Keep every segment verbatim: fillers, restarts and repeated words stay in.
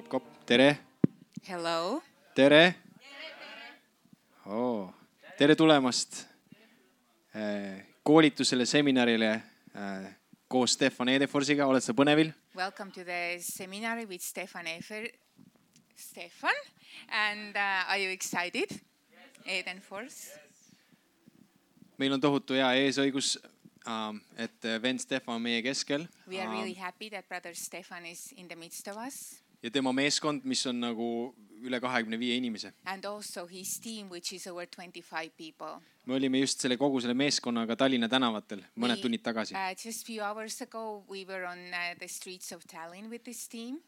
Jakob, tere. Hello. Tere. Oh, tere tulemast koolitusele, seminarile koos Stefan Edeforsiga. Oled sa põnevil? Welcome to the seminary with Stefan Efer. Stefan, and uh, are you excited? Yes. Edenfors. Meil on tohutu hea eesõigus, et vend Stefan on meie keskel. We are really happy that brother Stefan is in the midst of us. Ja tema meeskond, mis on nagu üle kahekümne viie inimese. And also his team, which is over twenty-five people. Me olime just selle kogu selle meeskonnaga Tallinna tänavatel mõned We, tunnid tagasi. Uh, just few hours ago, we were on uh, the streets of Tallinn with this team.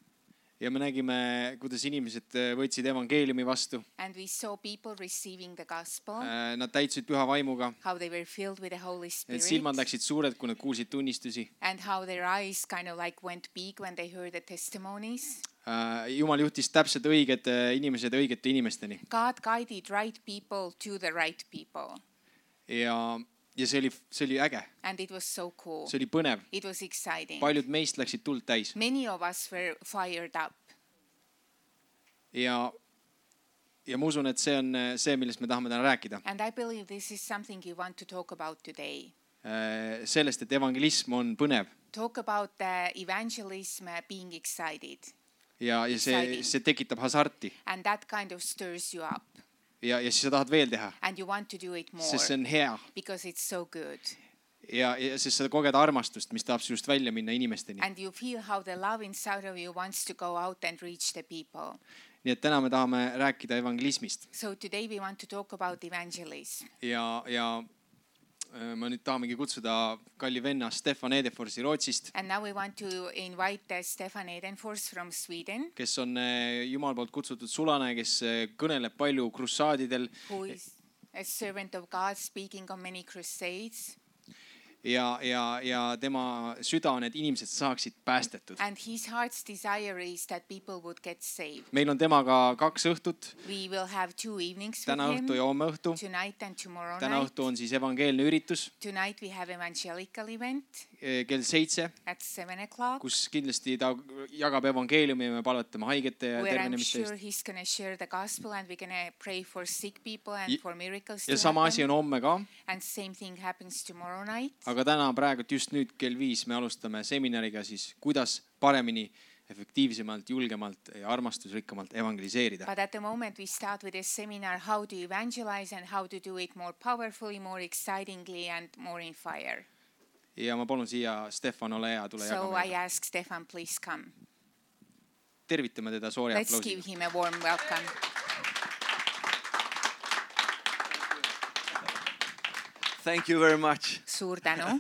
Ja me nägime, kuidas inimesed võtsid evangeeliumi vastu. And we saw people receiving the gospel. Nad täitsid püha vaimuga. How they were filled with the Holy Spirit. Need silmad läksid suured, kui nad kuulsid tunnistusi. And how their eyes kind of like went big when they heard the testimonies. Jumal juhtis täpselt õiged inimesed õigete inimesteni. God guided right people to the right people. Ja ja see oli see oli äge. And it was so cool. See oli põnev. It was exciting. Paljud meist läksid tuld täis. Many of us were fired up. Ja ja ma usun, et see on see, millest me tahame täna rääkida. And I believe this is something you want to talk about today. Sellest, et evangelism on põnev. Talk about the evangelism being excited. Ja ja see see tekitab hasarti. And that kind of stirs you up. Ja ja siis sa tahad veel teha. And you want to do it more. Sest see on hea. Because it's so good. Ja ja siis sa koged armastust, mis tahab sinust välja minna inimesteni. And you feel how the love inside of you wants to go out and reach the people. Nii et täna me tahame rääkida evangelismist. So today we want to talk about evangelism. Ja ja ma nüüd tahamegi kutsuda kalli venna Stefan Edeforsi Rootsist. And now we want to invite Stefan Edenfors from Sweden. Kes on Jumal poolt kutsutud sulane, kes kõneleb palju krussaadidel. Who is a servant of God speaking on many crusades. Ja ja ja tema süda on, et inimesed saaksid päästetud. And his heart's desire is that people would get saved. Meil on temaga kaks õhtut. We will have two evenings Täna with him. õhtu ja homme õhtu. Tonight and tomorrow Täna night. õhtu on siis evangeelne üritus. Tonight we have evangelical event. Kell seitse. At seven o'clock. Kus kindlasti ta jagab evangeeliumi ja me palvetame haigete ja tervenemiste eest. Where I'm sure he's going to share the gospel and we're going to pray for sick people and for miracles to happen. Ja sama asi on homme ka. And same thing happens tomorrow night. Aga täna praegu just nüüd kell viis me alustame seminariga siis, kuidas paremini, efektiivsemalt, julgemalt ja armastusrikkamalt evangeliseerida. But at the moment we start with a seminar how to evangelize and how to do it more powerfully, more excitingly and more in fire. Ja ma palun siia Stefan, ole hea, tule jaga meile. So I ask Stefan, please come. Tervitame teda suure aplausiga. Let's give him a warm welcome. Thank you very much. Suur tänu.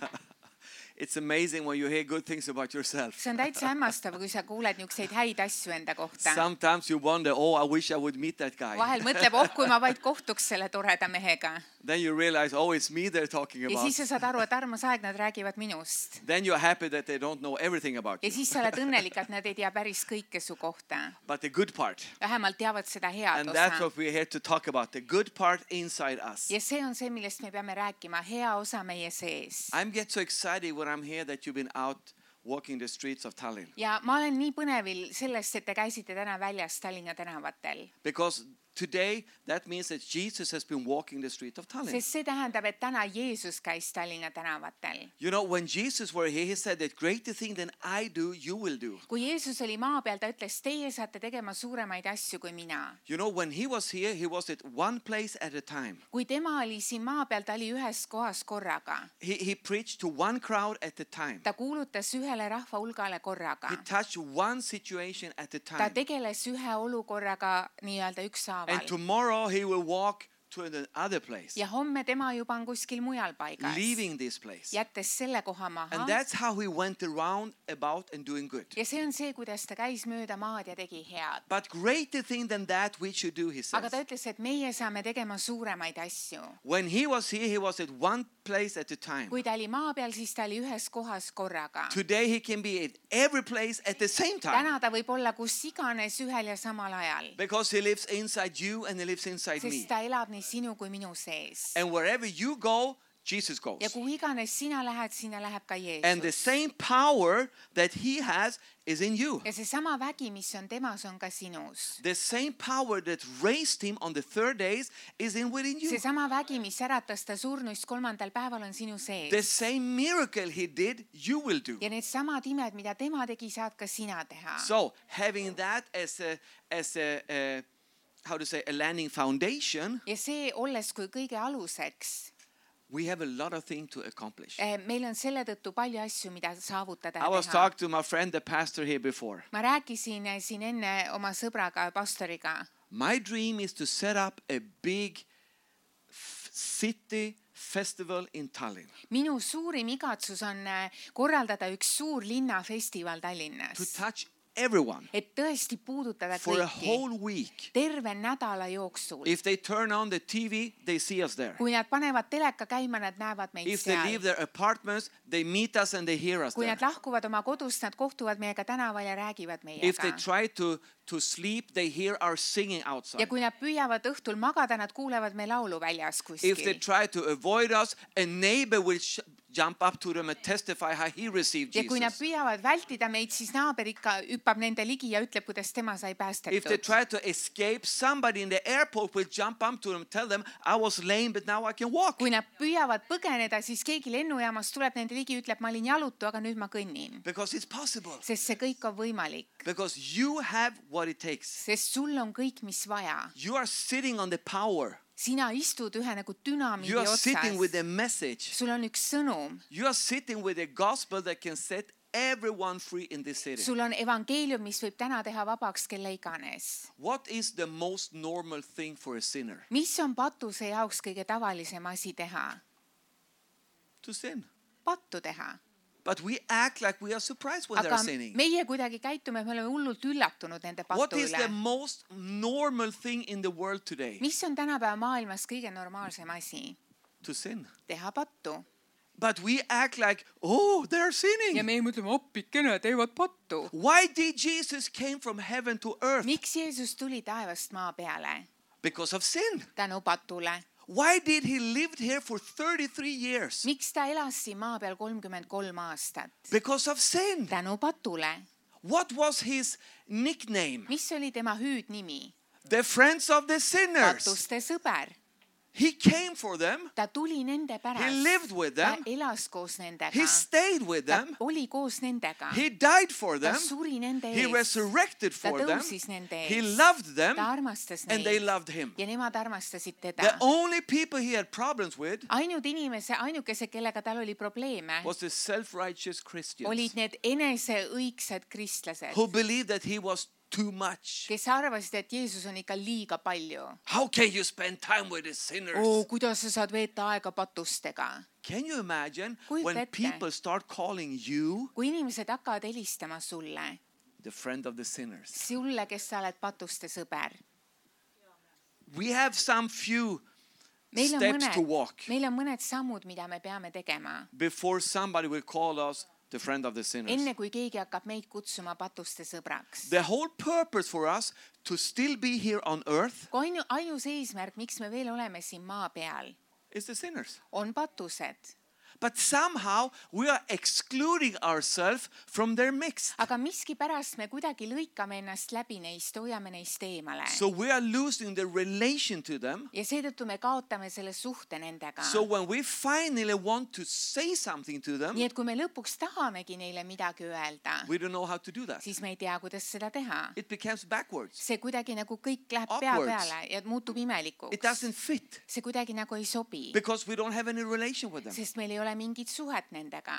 It's amazing when you hear good things about yourself. See on täitsa hämmastav, kui sa kuuled niukseid häid asju enda kohta. Sometimes you wonder, oh, I wish I would meet that guy. Vahel mõtleb, oh, kui ma vaid kohtuks selle toreda mehega. Then you realize, oh, it's me they're talking about. Ja siis sa saad aru, et armas aeg, nad räägivad minust. Then you're happy that they don't know everything about you. Ja siis sa oled õnnelik, et nad ei tea päris kõike su kohta. But the good part. Vähemalt teavad seda head and osa. And that's what we're here to talk about, the good part inside us. Ja see on see, millest me peame rääkima, hea osa meie sees. I'm get so excited when I'm here that you've been out walking the streets of Tallinn. Ja ma olen nii põnevil sellest, et te käisite täna väljas Tallinna tänavatel. Because today that means that Jesus has been walking the street of Tallinn. Sest see tähendab, et täna Jeesus käis Tallinna tänavatel. You know, when Jesus were here, he said that greater thing than I do, you will do. Kui Jeesus oli maa peal, ta ütles, teie saate tegema suuremaid asju kui mina. You know, when he was here, he was at one place at a time. Kui tema oli siin maa peal, ta oli ühes kohas korraga. He, he preached to one crowd at a time. Ta kuulutas ühele rahva hulgale korraga. He touched one situation at a time. Ta tegeles ühe olukorraga nii-öelda ükshaaval. And tomorrow he will walk to another place. Ja homme tema juba on kuskil mujal paigas. Leaving this place. Jättes selle koha maha. And that's how he went around about and doing good. Ja see on see, kuidas ta käis mööda maad ja tegi head. But greater thing than that we should do, he says. Aga ta ütles, et meie saame tegema suuremaid asju. When he was here, he was at one place at a time. Kui ta oli maa peal, siis ta oli ühes kohas korraga. Today he can be at every place at the same time. Täna ta võib olla kus iganes ühel ja samal ajal. Because he lives inside you and he lives inside me. Sest ta elab nii sinu kui minu sees. And wherever you go, Jesus goes. ja kuhu iganes sina lähed, sinna läheb ka And the Jeesus. same power that he has is in you. ja seesama vägi, mis on temas, on ka sinus. The same power that raised him on the third days is in within you. seesama vägi, mis äratas ta surnuist kolmandal päeval, on sinu The sees. same miracle he did, you will do. ja need samad imed, mida tema tegi, saad ka sina teha. So having that as a as a, a how to say a landing foundation, ja see, olles kui kõige aluseks, we have a lot of things to accomplish. eh, meil on selle tõttu palju asju, mida saavutada I ja was teha. talking to my friend, the pastor here before. ma rääkisin eh, siin enne oma sõbraga, pastoriga. My dream is to set up a big f- city festival in Tallinn minu suurim igatsus on eh, korraldada üks suur linnafestival to Tallinnas, touch everyone et tõesti puudutada for a kõiki whole week. terve nädala jooksul. If they turn on the T V, they see us there. kui nad panevad teleka käima, nad näevad meid If they leave seal. their apartments, they meet us and they hear us kui there. nad lahkuvad oma kodust, nad kohtuvad meiega tänaval ja räägivad If they meiega. try to, to sleep, they hear our singing ja outside. kui nad püüavad õhtul magada, nad kuulevad me laulu väljas If they kuskil. try to avoid us, a neighbor will sh- jump up to them and testify how he received ja kui nad Jesus. püüavad vältida meid, siis naaber ikka hüppab nende ligi ja ütleb, kuidas tema sai If they päästetud. try to escape, somebody in the airport will jump up to them, tell them, I was lame, but now I can walk. kui nad püüavad põgeneda, siis keegi lennujaamas tuleb nende ligi, ütleb, ma olin jalutu, aga nüüd ma kõnnin. Because it's possible. sest see kõik on võimalik, Because you have what it takes. sest sul on kõik, mis vaja. You are sitting on the power. sina istud ühe nagu dünamiidi You are sitting with otsas. the message. sul on üks sõnum, You are sitting with a gospel that can set everyone free in this city. sul on evangeelium, mis võib täna teha vabaks kelle iganes. What is the most normal thing for a sinner? mis on patuse jaoks kõige tavalisem asi teha? To sin. pattu teha. But we act like we are surprised when aga they're sinning. meie kuidagi käitume, me oleme hullult üllatunud nende What patu is the üle. most normal thing in the world today? mis on tänapäeva maailmas kõige normaalsem asi? To sin. teha pattu. But we act like, oh, they're ja sinning. meie mõtleme, appikene, teevad pattu. Why did Jesus came from heaven to earth? miks Jeesus tuli taevast maa peale? Because of sin. tänu patule. Why did he live here for thirty-three years? miks ta elas siin maa peal kolmkümmend kolm aastat? Because of sin. tänu patule. What was his nickname? mis oli tema hüüdnimi? The friends of the sinners. patuste sõber. He came for them. ta tuli nende pärast. He lived with ta them. elas koos nendega. He stayed with ta them. oli koos nendega. He died for ta them. suri nende He ees. resurrected ta for them. tõusis nende He ees. loved them. ta armastas And they neid loved him. ja nemad armastasid The teda. only people he had problems with ainult inimese, ainukesed, kellega tal oli probleeme, was the self-righteous Christians olid need eneseõigsed kristlased, who believed that he was too much. kes arvasid, et Jeesus on ikka liiga palju. How can you spend time with the sinners? oo, kuidas sa saad veeta aega patustega? Can you imagine Kujuta when ette. people start calling you kui inimesed hakkavad helistama sulle, the friend of the sinners? sulle, kes sa oled patuste sõber. We have some few meil on steps to mõned, walk meil on mõned sammud, mida me peame tegema, before somebody will call us the friend of the sinners. enne kui keegi hakkab meid kutsuma patuste sõbraks. The whole purpose for us to still be here on earth kui ainu, ainus eesmärk, miks me veel oleme siin maa peal, is the sinners. on patused. But somehow we are excluding ourselves from their mix. aga miskipärast me kuidagi lõikame ennast läbi neist, hoiame neist eemale. So we are losing the relation to them. ja seetõttu me kaotame selle suhte nendega. So when we finally want to say something to them, nii et kui me lõpuks tahamegi neile midagi öelda, we don't know how to do that. siis me ei tea, kuidas seda teha. It becomes backwards. see kuidagi nagu kõik läheb pea Upwards. peale ja muutub It imelikuks. doesn't fit see kuidagi nagu ei sobi, because we don't have any relation with them. sest meil ei ole mingit suhet nendega.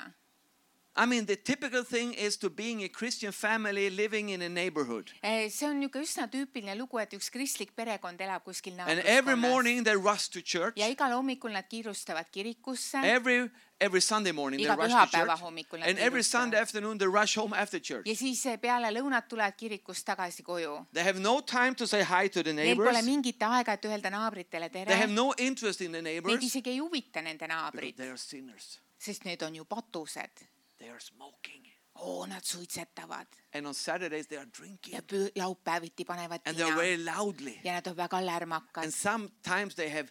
I mean, the typical thing is to being a Christian family living in a neighborhood. Eh, see on niisugune üsna tüüpiline lugu, et üks kristlik perekond elab kuskil And every naabruskonnas morning they rush to church. ja igal hommikul nad kiirustavad kirikusse. Every every Sunday morning they Iga rush to pühapäeva church. hommikul nad And every kiirustavad. Sunday afternoon they rush home after church. ja siis peale lõunat tulevad kirikust tagasi koju. They have no time to say hi to the Neil neighbors. pole mingit aega, et öelda naabritele They tere. have no interest in the Neid neighbors isegi ei huvita nende because naabrid, they are sinners. sest need on ju patused. They are smoking. oo, nad suitsetavad And on Saturdays they are drinking. ja püü- laupäeviti panevad And they are tina very loudly. ja nad on väga lärmakad And sometimes they have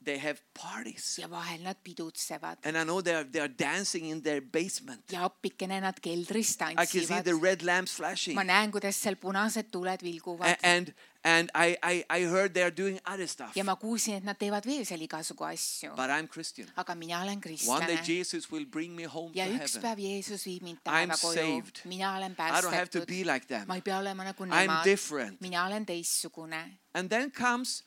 they have parties. ja vahel nad pidutsevad And I know they are, they are dancing in their basement. ja appikene nad keldris I can see tantsivad. the red lamps flashing. ma näen, kuidas seal punased tuled A- vilguvad And and I, I, I heard they are doing other stuff. ja ma kuulsin, et nad teevad veel seal igasugu asju. But I'm Christian. aga mina olen One day kristlane Jesus will bring me home to ja üks heaven. päev Jeesus viib mind I'm taeva koju. saved. mina olen I don't have to päästetud. be like them. ma ei pea olema nagu I'm nemad. different. mina olen teistsugune. And then comes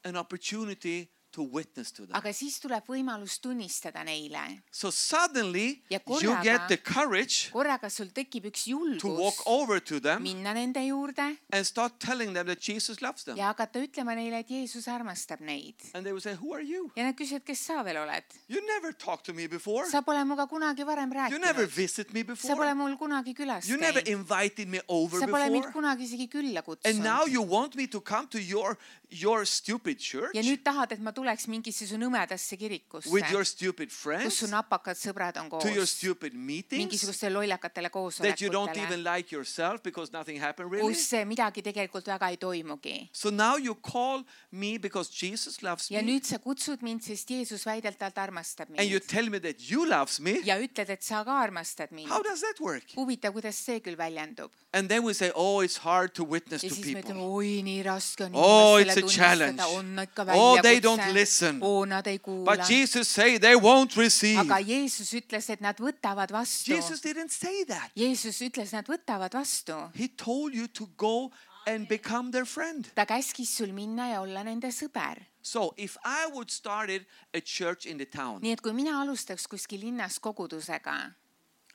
an opportunity to witness to them. aga siis tuleb võimalus tunnistada neile. So suddenly Ja you korraga- get the courage korraga sul tekib üks to walk julgus over to them minna nende juurde and start telling them that Jesus loves them. ja hakata ütlema neile, et Jeesus armastab neid. And they will say, who are you? ja nad küsivad, kes sa veel oled? You never talked to me before. sa pole minuga kunagi varem You never rääkinud. visited me sa pole before. mul kunagi külas You never käinud. invited me over sa pole mind before. kunagi isegi külla And now kutsunud. you want me to come to your your stupid church ja nüüd tahad, et ma tuleks mingisse su nõmedasse kirikusse, with your stupid kus friends, su napakad sõbrad on to your koos, stupid meetings mingisugustele lollakatele that you don't even koosolekutele, like yourself because nothing happened really. kus midagi tegelikult väga ei toimugi. So now you call me because Jesus loves ja me nüüd sa kutsud mind, sest Jeesus väidetavalt armastab and you mind. tell me that you loves me. ja ütled, et sa ka armastad mind. How does that work? huvitav, kuidas see küll väljendub. And then we say, oh, it's hard to witness ja to siis me ütleme, people. oi, nii raske on Oh, it's inimestele a challenge. tunnistada, on ikka Oh, they don't väljakutse. listen. oo, nad ei kuula. But Jesus say they won't receive. aga Jeesus ütles, et nad võtavad vastu. Jesus didn't say that. Jeesus ütles, nad võtavad vastu. He told you to go and become their friend. ta käskis sul minna ja olla nende sõber. So if I would started a church in the town, nii et kui mina alustaks kuskil linnas kogudusega,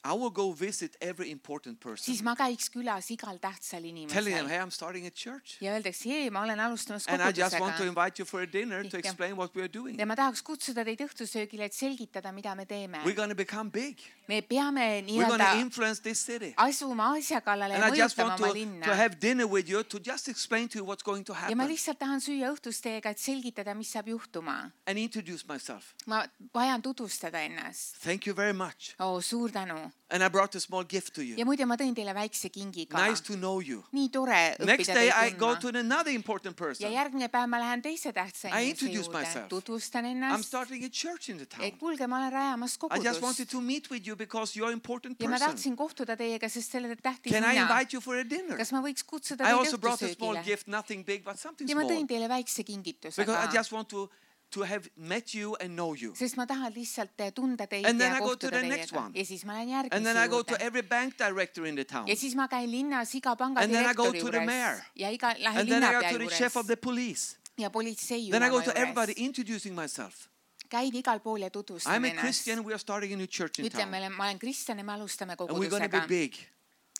I will go visit every important person, siis ma käiks külas igal tähtsal telling them, inimesel hey, I'm starting a church. ja öeldaks, hei, ma olen alustamas And I just want to kogudusega invite you for a dinner to Ja. explain what we are doing. ja ma tahaks kutsuda teid õhtusöögile, et selgitada, mida me teeme. We're going to become big. me peame We're going to nii-öelda influence this city. asuma asja kallale And ja I just mõjutama want oma to, linna. to have dinner with you to just explain to you what's going to ja ma happen lihtsalt tahan süüa õhtust teiega, et selgitada, mis saab juhtuma. and introduce myself. ma vajan tutvustada ennast. Thank you very much. oo, suur tänu. And I brought a small gift to ja you. muide, ma tõin teile väikse kingi ka. Nice to know you. nii tore Next õppida day I teid go tundma. to another important ja person. järgmine päev ma lähen teise tähtsa I inimese introduce juurde, myself. tutvustan I'm ennast. starting a church in the town. et kuulge, ma olen rajamas I just kogudust. wanted to meet with you because you're an important ja ma person. tahtsin kohtuda teiega, sest selle olete tähtis Can I mina. invite you for a dinner? kas ma võiks kutsuda I teid also brought a small õhtusöögile? gift, nothing big, but something ja ma tõin small. teile väikse kingituse Because I ka. just want to, to have met you and know you. sest ma tahan lihtsalt tunda teid And then ja I go to kohtuda the next teiega. one. ja siis ma lähen And järgmise then I go to juurde. every bank director in the town. ja siis ma käin linnas iga panga And then I go direktori to the mayor. juures. ja iga, lähen And then I linnapea go to the chef of juures. the police. ja politsei Then I go ülema to everybody juures. introducing myself. käin igal pool ja I'm tutvustan a ennast. Christian, we are starting a new church in ütlen, town. ma olen kristlane, me alustame And we're going to be kogudusega. big.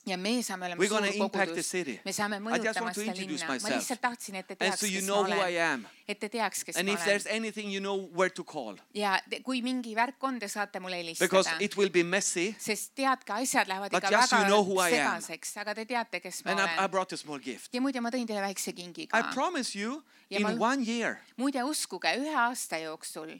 ja me saame olema We're suur going to impact the kogudus. city. me saame I just mõjutama want to seda introduce linna. ma myself. lihtsalt tahtsin, et te And teaks, so you kes ma know who I olen. am. et te teaks, kes And ma if there's olen. anything, you know where to call. ja te, kui mingi värk on, te saate mulle Because helistada. it will be messy. sest teadke, asjad lähevad But ikka just väga you know who I am. segaseks, aga te teate, kes ma And I, I olen. brought a small gift. ja muide, ma tõin teile väikse kingi I ka. promise you, Ja in ma- one year, muide, uskuge, ühe aasta jooksul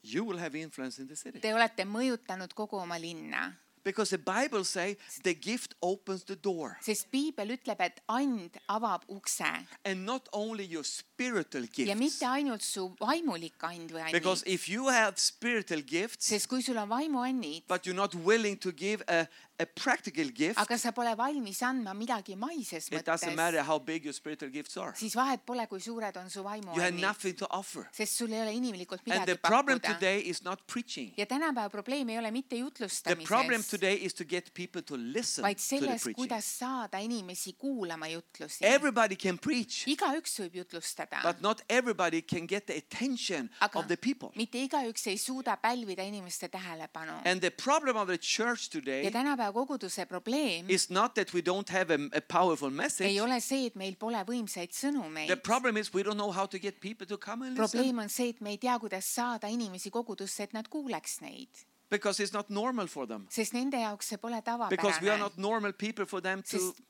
you will have influence in the city. te olete mõjutanud kogu oma linna. Because the Bible says the gift opens the door. sest piibel ütleb, et and avab ukse. And not only your spiritual ja gifts. mitte ainult su vaimulik and või Because annid. if you have spiritual gifts, sest kui sul on vaimuannid, but you're not willing to give a, a practical gift, aga sa pole valmis andma midagi maises it doesn't mõttes, matter how big your spiritual gifts are. siis vahet pole, kui suured on su You have vaimuannid. nothing to offer. sest sul ei ole inimlikult And midagi the problem pakkuda. today is not preaching. ja tänapäeva probleem ei ole mitte The problem jutlustamises, today is to get people to listen vaid to the selles, preaching. kuidas saada inimesi kuulama jutlusi. Everybody can preach, igaüks võib jutlustada, but not everybody can get the attention aga of the people. mitte igaüks ei suuda pälvida inimeste tähelepanu. And the problem of the church ja today tänapäeva koguduse probleem is not that we don't have a, a powerful message. ei ole see, et meil pole võimsaid The sõnumeid. problem is we don't know how to get people to come and listen. probleem on see, et me ei tea, kuidas saada inimesi kogudusse, et nad kuuleks neid. Because it's not normal for them. sest nende jaoks see pole Because we are tavapärane. not normal people for them to Sest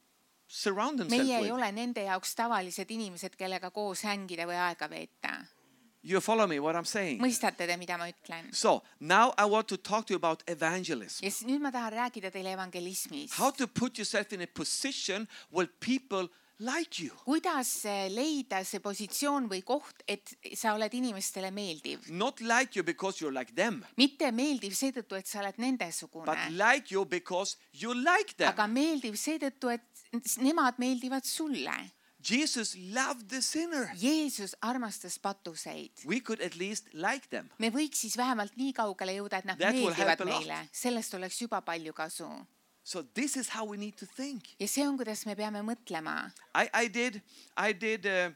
surround themselves meie ei with. ole nende jaoks tavalised inimesed, kellega koos hängida või aega veeta. You follow me what I'm saying? mõistate te, mida ma ütlen? So now I want to talk to you about evangelism. ja siis nüüd ma tahan rääkida teile evangelismist. How to put yourself in a position where people like you. kuidas leida see positsioon või koht, et sa oled inimestele meeldiv. Not like you because you're like them, mitte meeldiv seetõttu, et sa oled but nendesugune, like you because you like them. aga meeldiv seetõttu, et nemad meeldivad sulle. Jesus loved the sinner. Jeesus armastas patuseid. We could at least like them. me võiks siis vähemalt nii kaugele jõuda, et nad That will help meeldivad a lot. meile. Sellest oleks juba palju kasu. So this is how we need to think. Ja see on, kuidas me peame mõtlema. I, I did, I did uh,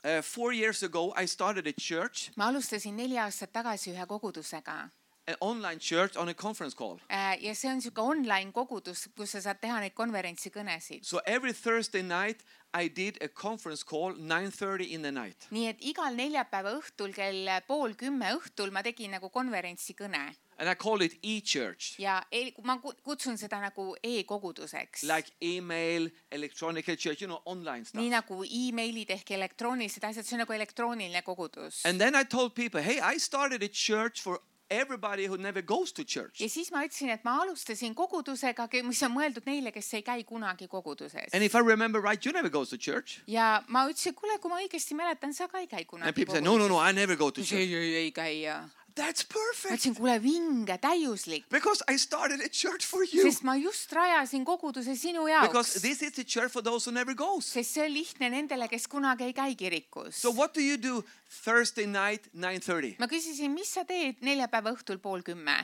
uh, four years ago, I started a church, ma alustasin neli aastat tagasi ühe kogudusega. an online church on a conference call. Ja see on niisugune online kogudus, kus sa saad teha neid konverentsikõnesid. So every Thursday night, I did a conference call nine thirty in the night. nii et igal neljapäeva õhtul kell pool kümme õhtul ma tegin nagu konverentsikõne. And I call it e-church. Ja e- ma kutsun seda nagu e-koguduseks. Like email, electronic church, you know, online stuff. nii nagu e-mailid ehk elektroonilised asjad, see on nagu elektrooniline kogudus. And then I told people, hey, I started a church for everybody who never goes to church. Ja siis ma ütlesin, et ma alustasin kogudusega, mis on mõeldud neile, kes ei käi kunagi koguduses. And if I remember right, you never go to church. Ja ma ütlesin, kuule, kui ma õigesti mäletan, sa ka ei käi kunagi And people koguduses. say, no, no, no, I never go to ei, church. ei, ei käi. Ja. That's Ma perfect. ütlesin, kuule, vinge, täiuslik. Because I started a church for you. Sest ma just rajasin koguduse sinu jaoks. Because this is the church for those who never goes. Sest see on lihtne nendele, kes kunagi ei käi kirikus. So what do you do Thursday night, nine thirty? Ma küsisin, mis sa teed neljapäeva õhtul pool kümme?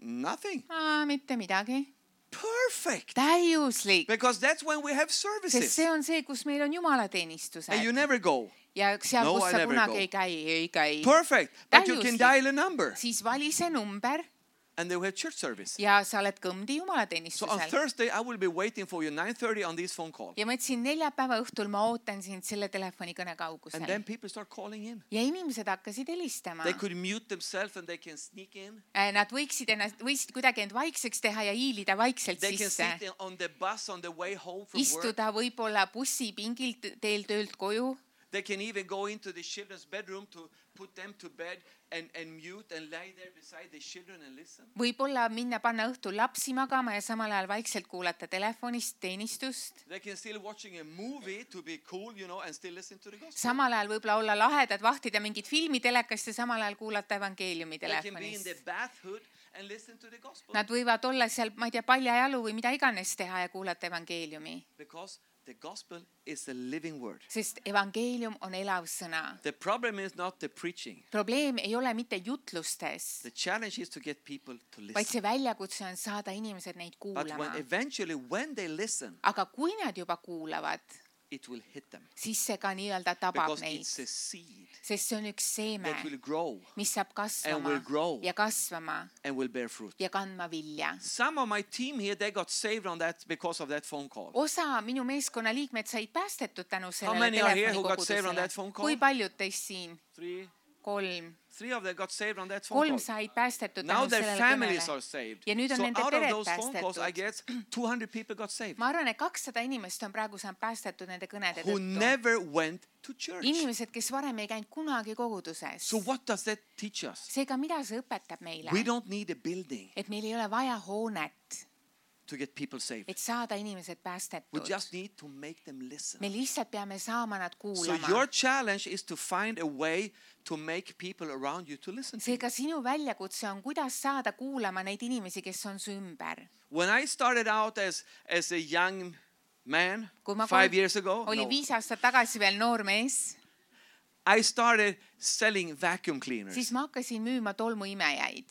Nothing. Aa, mitte midagi. Perfect. Täiuslik. Because that's when we have Sest services. see on see, kus meil on jumalateenistused. And you never go. Ja seal, No, kus I sa never kunagi go. ei käi, ei käi. Perfect. But you can Täiuslik. dial a number. Siis vali see number And they will have church service. ja sa oled kõmdi So on jumalateenistusel. Thursday, I will be waiting for you nine thirty on this phone call. Ja ma ütlesin, neljapäeva õhtul ma ootan sind selle telefonikõne And kaugusel. then people start calling in. Ja inimesed hakkasid helistama. They could mute themselves and they can sneak in. Nad võiksid ennast, võisid kuidagi end vaikseks teha ja hiilida vaikselt They can sisse. sit in- on the bus on the way home from work. Istuda võib-olla bussipingilt teel töölt koju. They can even go into the children's bedroom to put them to bed and, and mute and lie there beside the children and listen. Võib-olla minna panna õhtul lapsi magama ja samal ajal vaikselt kuulata telefonist teenistust. They can still watching a movie to be cool, you know, and still listen to the gospel. Samal ajal võib-olla olla lahedad, vahtida mingit filmi telekast ja samal ajal kuulata evangeeliumi They can be in telefonist. the bathhood and listen to the gospel. Nad võivad olla seal, ma ei tea, paljajalu või mida iganes teha ja kuulata evangeeliumi. Because the gospel is a living word. Sest evangeelium on elav sõna. The problem is not the preaching. Probleem ei ole mitte jutlustes, The challenge is to get people to vaid listen. see väljakutse on saada inimesed neid But when kuulama. eventually when they listen, Aga kui nad juba kuulavad, it will hit them. siis see ka nii-öelda tabab Because neid. it's a seed Sest see on üks seeme, that will grow mis saab and will kasvama grow ja kasvama and will bear fruit. ja kandma vilja. Some of my team here, they got saved on that because of that phone call. Osa minu meeskonna liikmed said päästetud tänu sellele many are here who got saved on that telefonikogudusele. phone call? Kui paljud teist siin? Three, Kolm. three of them got saved on that phone Kolm call. said päästetud Now tänu their sellele families are kõnele. saved. Ja nüüd on So nende out of pered those phone calls, I päästetud. guess two hundred people got saved Ma arvan, et kakssada inimest on praegu saanud päästetud nende kõnede who tõttu. never went to church. Inimesed, kes varem ei käinud kunagi koguduses. So what does that teach us? Seega, mida see õpetab meile? We don't need a building Et meil ei ole vaja hoonet, to get people saved. et saada inimesed We päästetud. just need to make them listen. Me lihtsalt peame saama nad So kuulama. your challenge is to find a way to make people around you to listen to you. Seega sinu väljakutse on, kuidas saada kuulama neid inimesi, kes on su ümber. When I started out as, as a young man Kui ma five kolm- years ago, Oli no, viis aastat tagasi veel noor mees, I started selling vacuum cleaners. siis ma hakkasin müüma tolmuimejaid.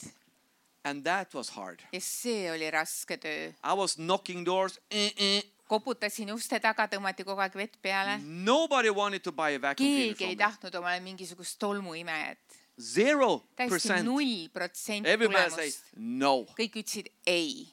And that was hard. Ja see oli raske töö. I was knocking doors. Eh, eh. Koputasin uste taga, tõmmati kogu aeg vett peale. Nobody wanted to buy a vacuum cleaner Keegi ei from me. tahtnud omale mingisugust tolmuimejat. Zero Täiesti percent. null protsenti Everybody says tulemust. no, Kõik ütlesid ei.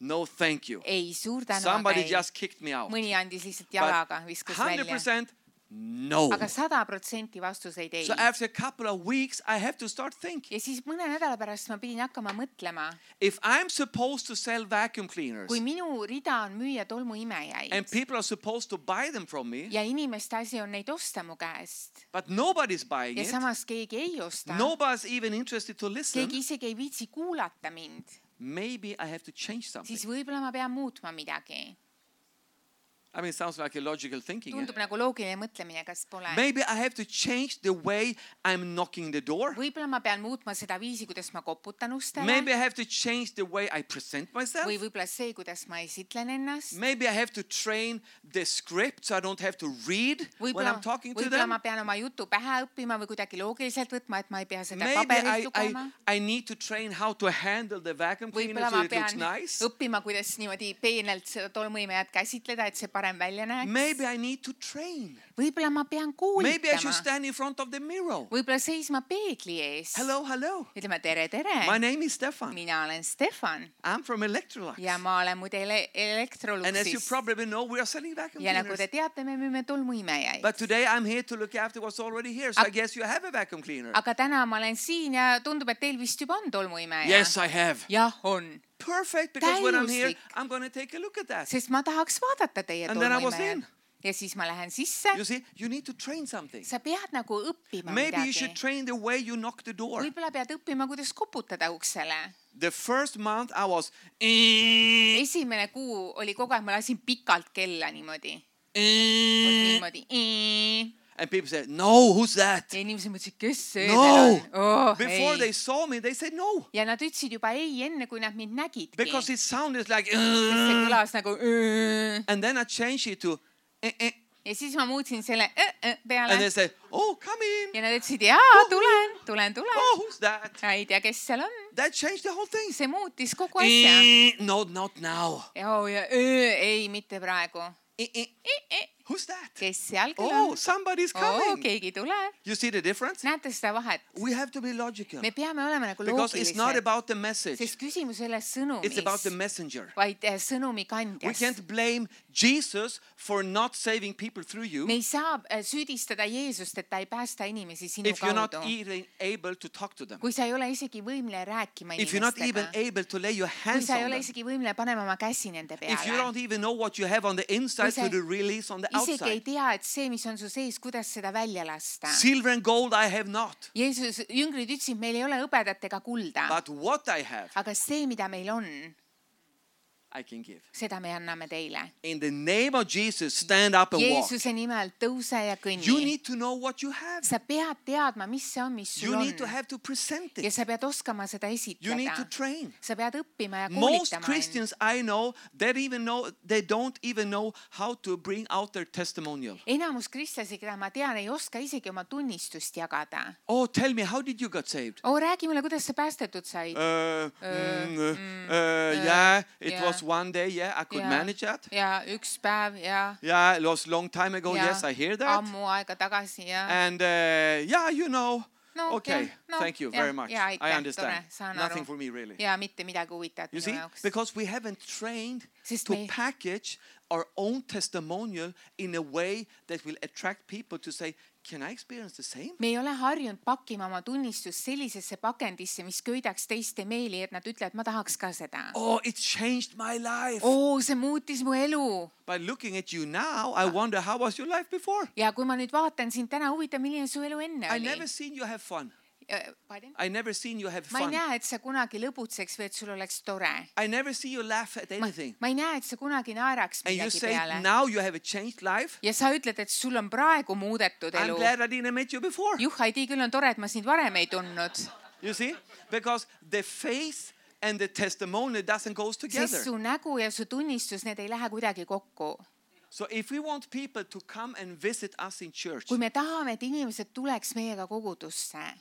no, thank you. Ei, suur tänu, aga Somebody ei. just kicked me out. Mõni andis lihtsalt jalaga, viskas Hundred välja. percent no. Aga sada protsenti vastuseid ei. So after a couple of weeks, I have to start thinking. Ja siis mõne nädala pärast ma pidin hakkama mõtlema, If I'm supposed to sell vacuum cleaners kui minu rida on müüa tolmuimejaid and people are supposed to buy them from me, ja inimeste asi on neid osta mu käest but nobody's buying ja it, samas keegi ei osta, nobody's even interested to listen, keegi isegi ei viitsi kuulata mind, maybe I have to change something. siis võib-olla ma pean muutma midagi. I mean, it sounds like a logical thinking. Eh? tundub nagu loogiline mõtlemine, kas pole? Maybe I have to change the way I'm knocking the door. Võib-olla ma pean muutma seda viisi, kuidas ma koputan ustele. Maybe I have to change the way I present myself. Või võib-olla see, kuidas ma esitlen ennast. Maybe I have to train the script so I don't have to read when Võib-olla, I'm talking to võib-olla them. ma pean oma jutu pähe õppima või kuidagi loogiliselt võtma, et ma ei pea seda Maybe I, paberilt I, lugema. I need to train how to handle the vacuum cleaner Võib-olla so ma it looks pean nice. õppima, kuidas niimoodi peenelt seda tolmuimejat käsitleda, et see parem välja näeks. Maybe I need to train. Võib-olla ma pean Maybe I should koolitama. stand in front of the mirror. Võib-olla seisma peegli ees. Hello, hello. Ütleme tere, tere. My name is Stefan. Mina olen Stefan I'm from Electrolux. ja ma olen muide ele- And as you Electroluxis. probably know, we are selling vacuum Ja nagu cleaners. te teate, me müüme tolmuimejaid. But today I'm here to look after what's already here. So Ag- I guess you have a vacuum cleaner. Aga täna ma olen siin ja tundub, et teil vist juba on tolmuimeja. Yes, I have. Jah, on. Perfect, because when I'm here, Täiuslik. I'm going to take a look at that. Sest ma tahaks vaadata teie And then I was tolmuimejat. in. Ja siis ma lähen sisse. You see, you need to train something. Sa pead nagu õppima Maybe you should midagi. train the way you knock the door. Võib-olla pead õppima, kuidas koputada uksele. The first month I was Esimene kuu oli kogu aeg, ma lasin pikalt kella niimoodi. Niimoodi. and people said, no, who's that? Ja inimesed mõtlesid, kes see No. teil on? Oh, Before ei. they saw me, they said no. Ja nad ütlesid juba ei enne, kui nad mind nägidki. Because it sounded like, Sest see "Uh." kõlas nagu "Õõ". and then I changed it to, "Eh, eh." Ja siis ma muutsin selle "Õõ, õõ" peale. and they said, oh, come in. Ja nad ütlesid, jaa, tulen, tulen, tulen. Oh, who's that? Ja ei tea, kes seal on. That changed the whole thing. See muutis kogu asja. Eh, no, not now. Ja, oh, ja "Õõ", ei, mitte praegu. Eh, eh. Eh, eh. Who's that? Kes seal küll Oh, on? somebody's Oh, coming. keegi tuleb. You see the difference? Näete seda vahet? We have to be logical. Me peame olema nagu Because it's not loogilised. about the message. Sest küsimus ei ole It's about the sõnumis, messenger. vaid eh, sõnumi We kandjas. can't blame Jesus for not saving people through you Me ei saa eh, süüdistada Jeesust, et ta ei päästa inimesi sinu if you're not kaudu. even able to talk to them. Kui sa ei ole isegi võimeline rääkima If you're not even inimestega. able to lay your Kui hands sa ei on ole them. isegi võimeline panema oma käsi nende If you peale. don't even know what you have on the inside sa to the release on the Isegi ei outside. tea, et see, mis on su sees, kuidas seda välja lasta. Silver and gold I have not. Jeesus, jüngrid ütlesid, meil ei ole hõbedat ega kulda. But what I have, Aga see, mida meil on, I can give. seda me anname teile. In the name of Jesus, stand up and walk. Jeesuse nimel tõuse ja kõnni. You need to know what you have. Sa pead teadma, mis see on, mis sul You on. need to have to present Ja it. sa pead oskama seda You need to esitleda. train. Sa pead õppima ja Most koolitama end. Christians I know, they even know they don't even know how to bring out their testimonial. Enamus kristlasi, keda ma tean, ei oska isegi oma tunnistust jagada. Oh, tell me, how did you get saved? Oo, räägi mulle, kuidas sa päästetud said. Uh, mm, uh, uh, yeah, it yeah. was one day. Yeah, I could Ja. manage that. Ja üks päev ja, Yeah, it was long time ago. ja Yes, I hear that. ammu aega tagasi ja. And uh, yeah, you know. No, Okay, yeah, no, thank you yeah, very much. yeah, I aitäh, understand. tore, saan Nothing aru. for me really. Ja mitte midagi huvitavat You minu see, jaoks. because we haven't trained Sest to me- package our own testimonial in a way that will attract people to say, can I experience the same? Me ei ole harjunud pakkima oma tunnistust sellisesse pakendisse, mis köidaks teiste meeli, et nad ütlevad, ma tahaks ka seda. Oh, it changed my life. Oo, see muutis mu elu. By looking at you now, I wonder how was your life before? Ja kui ma nüüd vaatan sind täna, huvitav, milline su elu enne I oli. never seen you have fun. Pardon? I never seen you have Ma ei fun. näe, et sa kunagi lõbutseks või et sul oleks tore. I never see you laugh at Ma, anything. ma ei näe, et sa kunagi naeraks And you midagi say peale. now you have a changed life. Ja sa ütled, et sul on praegu muudetud I'm elu. glad I didn't meet you before. Juh, Heidi, küll on tore, et ma sind varem ei tundnud. You see? Because the faith and the testimony doesn't go together. Sest su nägu ja su tunnistus, need ei lähe kuidagi kokku. So if we want people to come and visit us in church, Kui me tahame, et inimesed tuleks meiega kogudusse,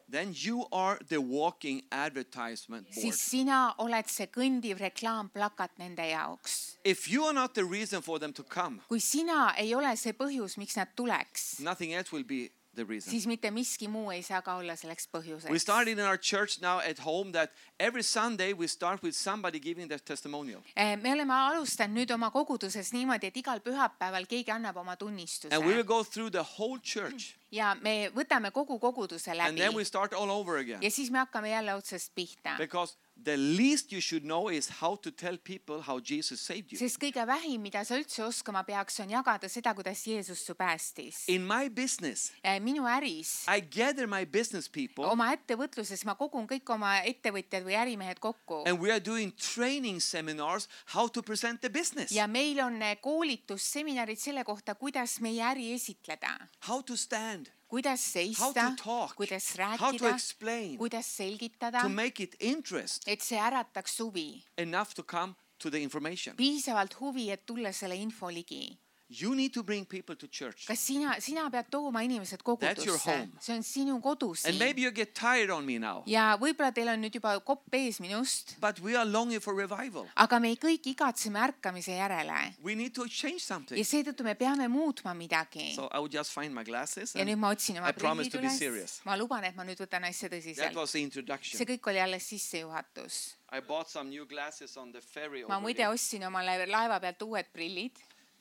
then you are the walking advertisement board. siis sina oled see kõndiv reklaamplakat nende jaoks. If you are not the reason for them to come, Kui sina ei ole see põhjus, miks nad tuleks, nothing else will be the reason. siis mitte miski muu ei saa ka olla selleks We põhjuseks. started in our church now at home that every Sunday we start with somebody giving their testimonial. Eh, Me oleme alustanud nüüd oma koguduses niimoodi, et igal pühapäeval keegi annab oma tunnistuse. And we will go through the whole church. Ja me võtame kogu koguduse And then we läbi. start all over again. Ja siis me hakkame jälle otsast pihta. Because the least you should know is how to tell people how Jesus saved you. sest kõige vähim, mida sa üldse oskama peaks, on jagada seda, kuidas Jeesus su päästis. In my business, Minu äris, I gather my business people oma ettevõtluses ma kogun kõik oma ettevõtjad või ärimehed kokku. and we are doing training seminars how to present the business. Ja meil on koolitusseminarid selle kohta, kuidas meie äri esitleda. How to stand, Kuidas how seista, to talk, kuidas how to rääkida, explain, kuidas selgitada, to make it interest et see ärataks huvi. enough to come to the information. Piisavalt huvi, et tulla selle info ligi. You need to bring people to church. Kas sina, sina pead tooma inimesed That's your kogudusse? home. See on sinu kodu And siin. maybe you get tired on me now, Ja võib-olla teil on nüüd juba kopp ees minust, but we are longing for revival. aga me kõik igatseme ärkamise järele. We need to change Ja something. seetõttu me peame muutma midagi. So I will just find my glasses. Ja And nüüd ma otsin oma I promise prillid to be üles. serious. Ma luban, et ma nüüd võtan asja That tõsiselt. was the See introduction. kõik oli alles sissejuhatus. I bought some new glasses on the ferry. Ma over muide here. ostsin omale laeva pealt uued prillid.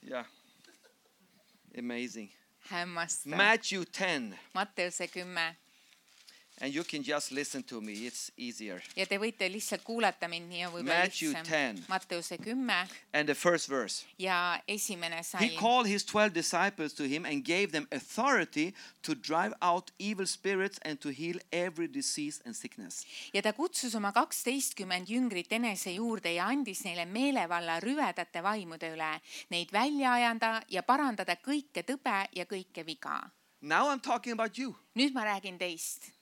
Yeah. Amazing. Hämmastav. Matthew ten. Matteuse kümme. And you can just listen to me. It's easier. Ja te võite lihtsalt kuulata mind, nii on võib-olla Matthew lihtsam. ten. Matteuse kümme And the first verse. ja esimene He salm. called his twelve disciples to him and gave them authority to drive out evil spirits and to heal every disease and sickness. Ja ta kutsus oma kaksteistkümmend jüngrit enese juurde ja andis neile meelevalla rüvedate vaimude üle, neid välja ajada ja parandada kõike tõbe ja kõike viga. Now I'm talking about you. Nüüd ma räägin teist.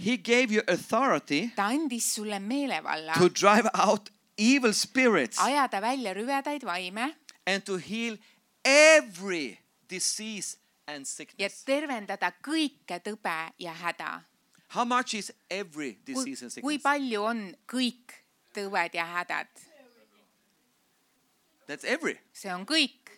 He gave you authority Ta andis sulle meelevalla to drive out evil spirits ajada välja rüvedaid vaime and to heal every disease and ja sickness. tervendada kõike tõbe ja häda. How much is every Kui, disease and kui sickness? palju on kõik tõved ja hädad? That's every. See on kõik.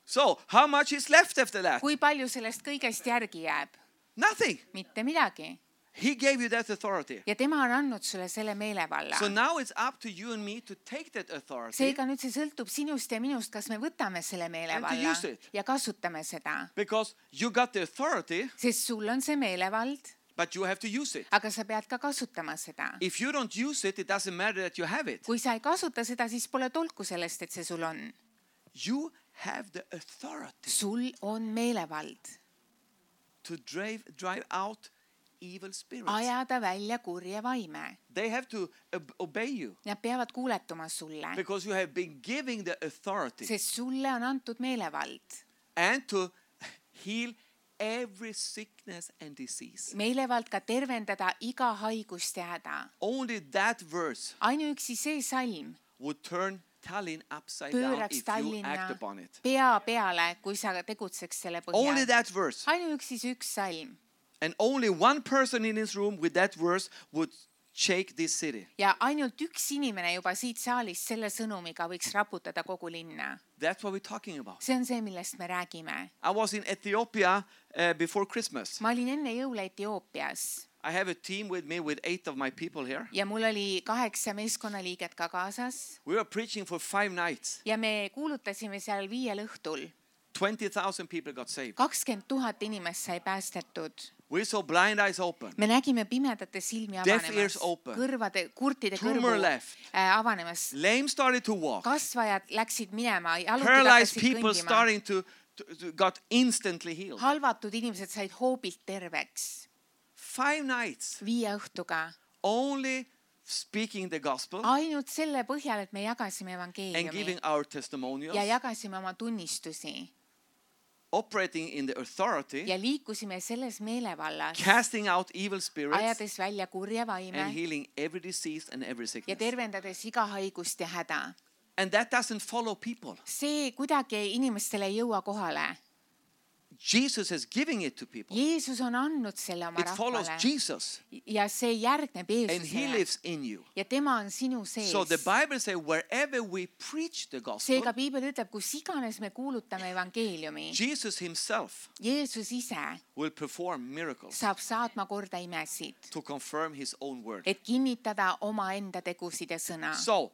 So, how much is left after that? Kui palju sellest kõigest järgi jääb? Nothing. Mitte midagi. He gave you that authority. Ja tema on andnud sulle selle meelevalla. So now it's up to you and me to take that authority Seega nüüd see sõltub sinust ja minust, kas me võtame selle meelevalla use it. ja kasutame seda. because you got the authority, Sest sul on see meelevald, but you have to use it. aga sa pead ka kasutama seda. If you don't use it, it doesn't matter that you have it. Kui sa ei kasuta seda, siis pole tolku sellest, et see sul on. You have the authority Sul on meelevald to drive, drive out evil spirits. ajada välja kurje vaime. They have to ob- obey you Nad peavad kuuletuma sulle, because you have been giving the authority sest sulle on antud meelevald. and to heal every sickness and disease. Meelevald ka tervendada iga haigust ja häda. Only that verse Ainuüksi see salm would turn Tallinn upside down pööraks if you Tallinna act upon it. pea peale, kui sa tegutseks selle Only põhjal. that verse. Ainuüksi see üks salm. And only one person in this room with that verse would shake this city. Ja ainult üks inimene juba siit saalist selle sõnumiga võiks raputada kogu linna. That's what we're talking about. See on see, millest me räägime. I was in Ethiopia uh, before Christmas. Ma olin enne jõule Etioopias I have a team with me with eight of my people here. ja mul oli kaheksa meeskonnaliiget ka kaasas We were preaching for five nights. ja me kuulutasime seal viiel õhtul. twenty thousand people got saved. kakskümmend tuhat inimest sai päästetud. We saw blind eyes open. Me nägime pimedate silmi Deaf avanemas, ears open. kõrvade, kurtide Tumor kõrvu left. äh, avanemas. Lame started to walk. Kasvajad läksid minema, jalutid Paralyzed hakkasid people kõndima. starting to, to, to got instantly healed. Halvatud inimesed said hoobilt terveks. Five nights Viie õhtuga. only speaking the gospel Ainult selle põhjal, et me jagasime and giving evangeeliumi our testimonials, ja jagasime oma tunnistusi operating in the authority, ja liikusime selles meelevallas, casting out evil spirits ajades välja kurje vaime and healing every disease and every ja sickness. tervendades iga haigust ja häda. And that doesn't follow people. See kuidagi inimestele ei jõua kohale. Jesus is giving it to people. Jeesus on andnud selle oma It follows rahvale Jesus ja see järgneb and he Jeesusele lives in you. ja tema on sinu sees. So the Bible says wherever we preach the gospel, Seega piibel ütleb, kus iganes me kuulutame evangeeliumi, Jesus himself Jeesus ise will perform miracles saab saatma korda imesid, to confirm his own word. et kinnitada omaenda tegusid ja sõna. So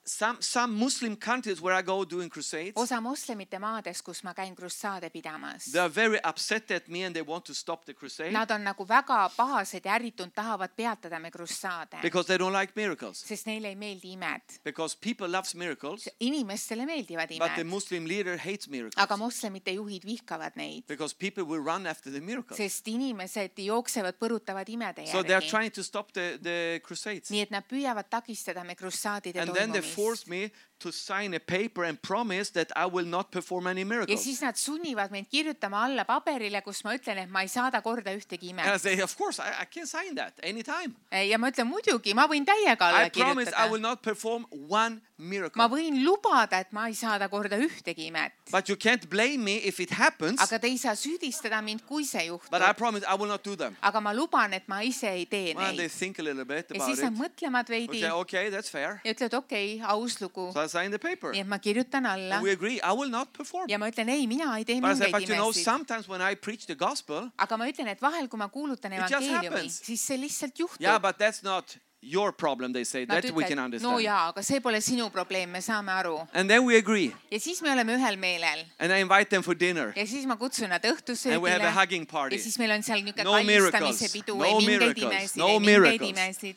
some, some Muslim countries where I go doing crusades, osa moslemite maades, kus ma käin krussaade pidamas, they are very upset at me and they want to stop the crusade nad on nagu väga pahased ja ärritunud, tahavad peatada me krussaade, because they don't like miracles. sest neile ei meeldi imed. Because people loves miracles, Inimestele meeldivad but the imed, Muslim leader hates miracles. aga moslemite juhid vihkavad neid, Because people will run after the miracles. sest inimesed jooksevad, põrutavad imede So they are järgi. trying to stop the, the crusades. nii et nad püüavad takistada me krussaadide And then they toimumist. force me to sign a paper and promise that I will not perform any ja miracles. siis nad sunnivad mind kirjutama alla paberile, kus ma ütlen, et ma ei saada korda ühtegi And I imet. say, of course, I, I can sign that anytime. ja ma ütlen, muidugi, ma võin täiega alla I promise I will kirjutada. not perform one ma miracle. võin lubada, et ma ei saada korda ühtegi imet. But you can't blame me if it happens. aga te ei saa süüdistada mind, kui see But I juhtub. promise I will not do them. aga ma luban, et ma ise ei tee Well, they neid. think a little bit ja about siis nad it. mõtlevad veidi Okay, okay, that's fair. ja ütlevad, okei okay,, aus lugu. So I sign the paper. nii et ma kirjutan alla And we agree, I will not perform. ja ma ütlen, ei, mina ei tee But I say, mingeid but you know, imesid. sometimes when I preach the gospel, aga ma ütlen, et vahel, kui ma kuulutan just evangeeliumi, happens. siis see lihtsalt juhtub. yeah, but that's not your problem, they say. Nad That we can ütlevad, understand. no jaa, aga see pole sinu probleem, me saame aru. And then we agree. ja siis me oleme ühel meelel And I invite them for dinner. ja siis ma kutsun nad And we have a õhtusöögile hugging party. ja siis meil on seal niisugune No kallistamise miracles, pidu, no ei mingeid miracles, imesid, no ei mingeid miracles. imesid.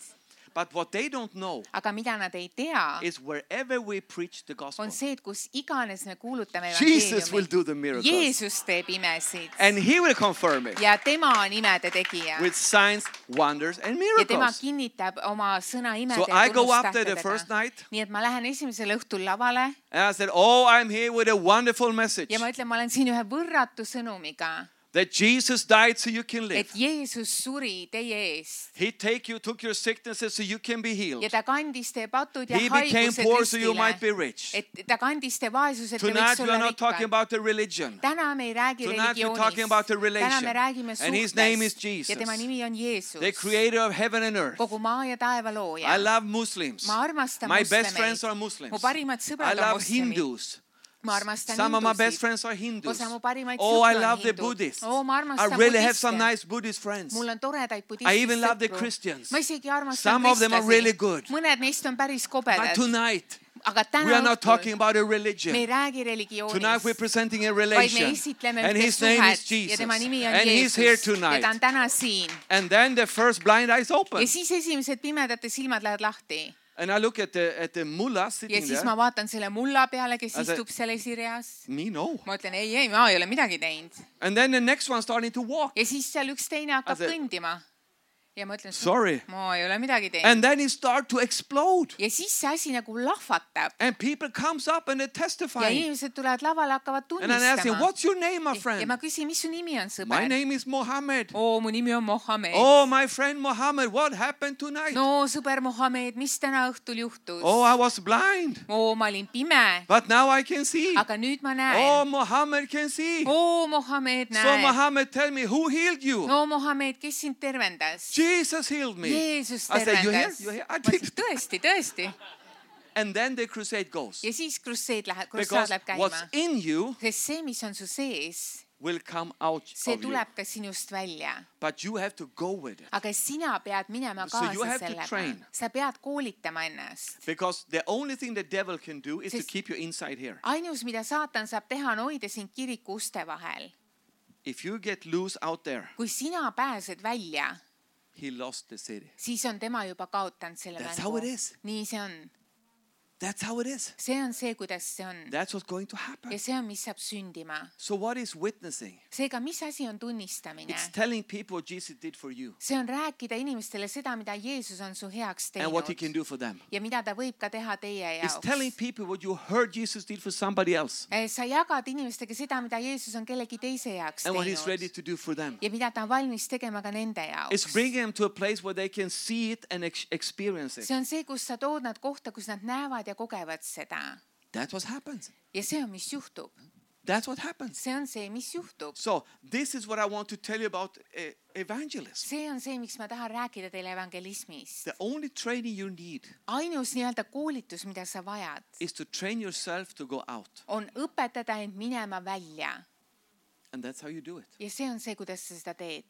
But what they don't know aga mida nad ei tea, is wherever we preach the gospel, on see, et kus iganes me kuulutame Jesus will evangeeliumi, do the miracles. Jeesus teeb imesid And he will confirm it ja tema on imede tegija with signs, wonders, and ja tema miracles. kinnitab oma sõna imede So ja I go up there the first tunnustähtedega. night nii et ma lähen esimesel õhtul lavale and I said, oh, I'm here with a wonderful message. ja ma ütlen, ma olen siin ühe võrratu sõnumiga, That Jesus died so you can live. et Jeesus suri teie eest He take you, took your sicknesses so you can be healed. ja ta kandis teie patud ja He became haigused poor so you might be ristile, rich. et ta kandis teie vaesused, te Tonight võiks we are olla not talking rikkad. about the religion. täna me ei räägi Tonight we're talking about the religioonist, täna me relation. räägime And his name is suhtest ja tema Jesus, nimi on Jeesus, the creator of heaven and earth. kogu maa ja taeva I looja. love Muslims. ma armastan My best friends moslemeid, are Muslims. mu parimad I sõbrad on love moslemid, Hindus. ma armastan Some of my best hindusid, friends are Hindus. osa mu parimaid Oh, I sõpru on love the hindud. Buddhists. oo, ma I armastan really have some budiste, nice Buddhist friends. mul on toredaid I even love the budistid Christians. sõpru, ma isegi armastan Some of them are really good. mõned neist on päris But kobedad, tonight, aga we täna are not talking õhtul about a me ei religion. räägi Tonight we're religioonist, presenting a vaid me relation. esitleme And ühte his name is suhet Jesus. ja tema nimi on And he's here Jeesus ja tonight. ta on täna siin. And then the first blind eyes open. ja siis esimesed pimedate silmad lähevad lahti And I look at the, at the mullah ja sitting siis there. ma vaatan selle mulla peale, kes I said- istub seal esireas. Me, no. ma ütlen ei, ei, ma ei ole midagi teinud. And then the next one starting to walk. ja siis seal üks teine hakkab I said- kõndima ja ma ütlen, Sorry. ma ei ole midagi teinud. And then it start to explode. ja siis see asi nagu lahvatab And people comes up and they ja testify. inimesed tulevad lavale, hakkavad And I ask him, tunnistama. what's your name, my ja friend? ma küsin, mis su nimi on, My sõber? name is Mohammed. oo, mu nimi on Mohammed. Oh, my friend Mohammed, what happened tonight? no sõber Mohammed, mis täna õhtul juhtus? Oh, I was blind, oo, ma olin pime, but now I can see. aga nüüd ma Oh, näen. Mohammed can see. oo, Mohammed, So näe. Mohammed, tell me, who healed you? no Mohammed, kes sind tervendas? Jesus healed me. Jeesus I said, you here? tervendas. You here? I ma did. ütlesin, tõesti, tõesti. And then the crusade goes. ja siis krusseed läheb, krussaad Because läheb käima. what's in you sest see, mis on su sees, will come out see of you. tuleb ka sinust välja. But you have to go with it. aga sina pead minema So you kaasa have to sellega. train. sa pead koolitama ennast. Because the only thing the devil can do is to Sest- keep you inside here. ainus, mida saatan saab teha, on hoida sind kiriku uste vahel. If you get loose out there, kui sina pääsed välja, he lost the city. siis on tema juba kaotanud selle That's how it mängu. is. nii see on. That's how it is. see on see, kuidas see on. That's what's going to happen. ja see on, mis saab sündima. So what is witnessing? seega, mis asi on tunnistamine? It's telling people what Jesus did for you see on rääkida inimestele seda, mida Jeesus on su heaks and what he can teinud do for them. ja mida ta võib ka teha teie It's telling jaoks. people what you heard Jesus did for somebody else sa jagad inimestega seda, mida Jeesus on kellegi teise heaks and what he's ready teinud to do for them. ja mida ta on valmis tegema ka nende It's jaoks. bringing them to a place where they can see it and ex- experience it. see on see, kus sa tood nad kohta, kus nad näevad ja kogevad seda. That's what happens. ja see on, mis juhtub. That's what happens. see on see, mis juhtub. So this is what I want to tell you about uh, evangelism. see on see, miks ma tahan rääkida teile evangelismist. The only training you need ainus nii-öelda koolitus, mida sa vajad, is to train yourself to go out. on õpetada end minema välja. And that's how you do it. ja see on see, kuidas sa seda teed.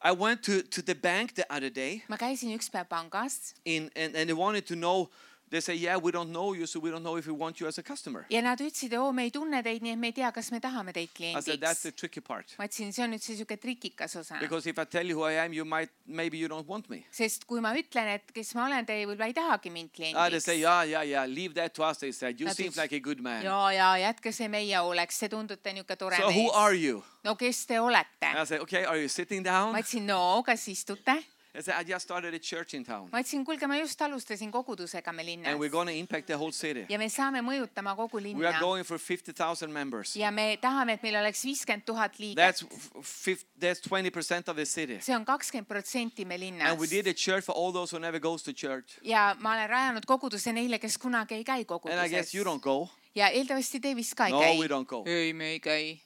I went to, to the bank the other day ma käisin üks päev pangas in, and, and they wanted to know They say, yeah, we don't know you, so we don't know if we want you as a customer. ja nad ütlesid, oo, me ei tunne teid, nii et me ei tea, kas me tahame teid I said, that's the kliendiks. tricky part. ma ütlesin, see on nüüd see siuke trikikas osa. Because if I tell you who I am, you might, maybe you don't want me. Sest kui ma ütlen, et kes ma olen, te võib-olla ei tahagi mind Ah, they say, kliendiks. yeah, yeah, yeah, leave that to us, they said. You Nad seem ütlesid, like a good man. ja, ja jätke see meie hooleks, te tundute niuke tore So who are mees. you? No kes te olete? I said, okay, are you sitting down? ma ütlesin, no kas istute? I said, I just started a church in town. ma ütlesin, kuulge, ma just alustasin kogudusega me linnas. And we're going to impact the whole city. ja me saame mõjutama kogu We are linna. going for fifty thousand members. ja me tahame, et meil oleks viiskümmend tuhat That's liiget. f- fif- that's twenty percent of the city. see on kakskümmend protsenti me And linnas. we did a church for all those who never goes to church. ja ma olen rajanud koguduse neile, kes kunagi ei käi And I guess koguduses. you don't go. ja eeldavasti te vist ka ei No, käi. we don't go. ei, me ei käi.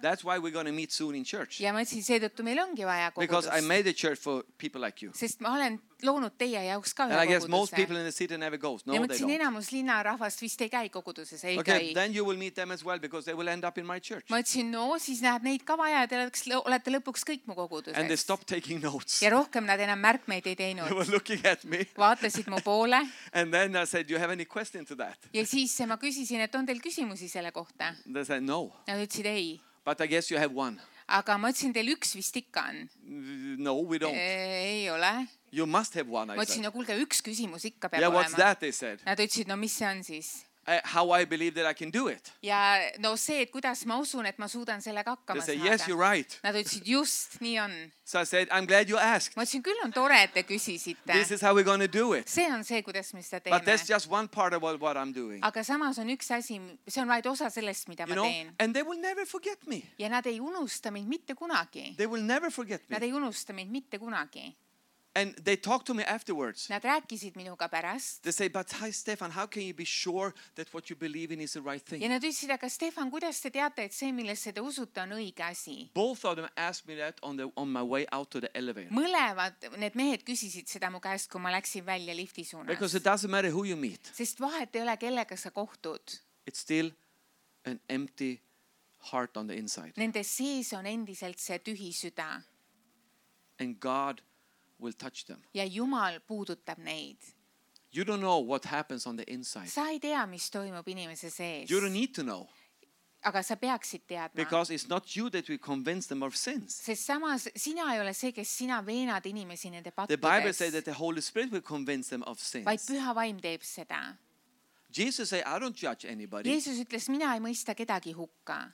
That's why we're going to meet soon in church. ja ma ütlesin, seetõttu meil ongi vaja Because I kogudust. made a church for people like you. sest ma olen loonud teie jaoks ka And I ühe guess most koguduse. people in the city never goes. ja No, ma they ütlesin, don't. enamus linnarahvast vist ei käi koguduses, ei Okay, käi. then you will meet them as well because they will end up in my church. ma ütlesin, no siis näed neid ka vaja ja te oleks, olete lõpuks kõik mu And they koguduses. stopped taking notes. ja rohkem nad enam märkmeid ei They teinud. were looking at me. vaatasid mu poole And then I said, do you have any question to that? ja siis ma küsisin, et on teil küsimusi selle kohta. They said, no. Nad ütlesid ei. But I guess you have one. aga ma ütlesin, teil üks vist ikka on. No, we don't. ei ole. You must have one, I ma ütlesin, said. no kuulge, üks küsimus ikka peab Yeah, what's olema. that, they said. Nad ütlesid, no mis see on siis? Uh, how I believe that I can do it. ja no see, et kuidas ma usun, et ma suudan sellega They hakkama said, saada. yes, you're right. Nad ütlesid, just nii on. So I said, I'm glad you asked. ma ütlesin, küll on tore, et te küsisite. This is how we're going to do it. see on see, kuidas me seda But that's teeme. just one part of what, what I'm doing. aga samas on üks asi, see on vaid osa sellest, mida You ma know, teen. and they will never forget me. ja nad ei unusta mind mitte kunagi. They will never forget Nad me. ei unusta mind mitte kunagi. And they talk to me afterwards. Nad rääkisid minuga pärast. They say, but hi, Stefan, how can you be sure that what you believe in is the right ja thing? nad ütlesid, aga Stefan, kuidas te teate, et see, millesse te usute, on õige asi? Both of them asked me that on, the, on my way out to the elevator. mõlemad need mehed küsisid seda mu käest, kui ma läksin välja lifti Because suunas. it doesn't matter who you meet. sest vahet ei ole, kellega sa kohtud. It's still an empty heart on the inside. Nende sees on endiselt see tühi süda And God will touch them. ja Jumal puudutab neid. You don't know what happens on the inside. sa ei tea, mis toimub inimese sees. You don't need to know. aga sa peaksid teadma. Because it's not you that will convince them of sins. sest samas sina ei ole see, kes sina veenad inimesi nende The Bible says pattudes, that the Holy Spirit will convince them of vaid sins. Püha Vaim teeb seda. Jesus said, I don't judge anybody. Jeesus ütles, mina ei mõista kedagi hukka.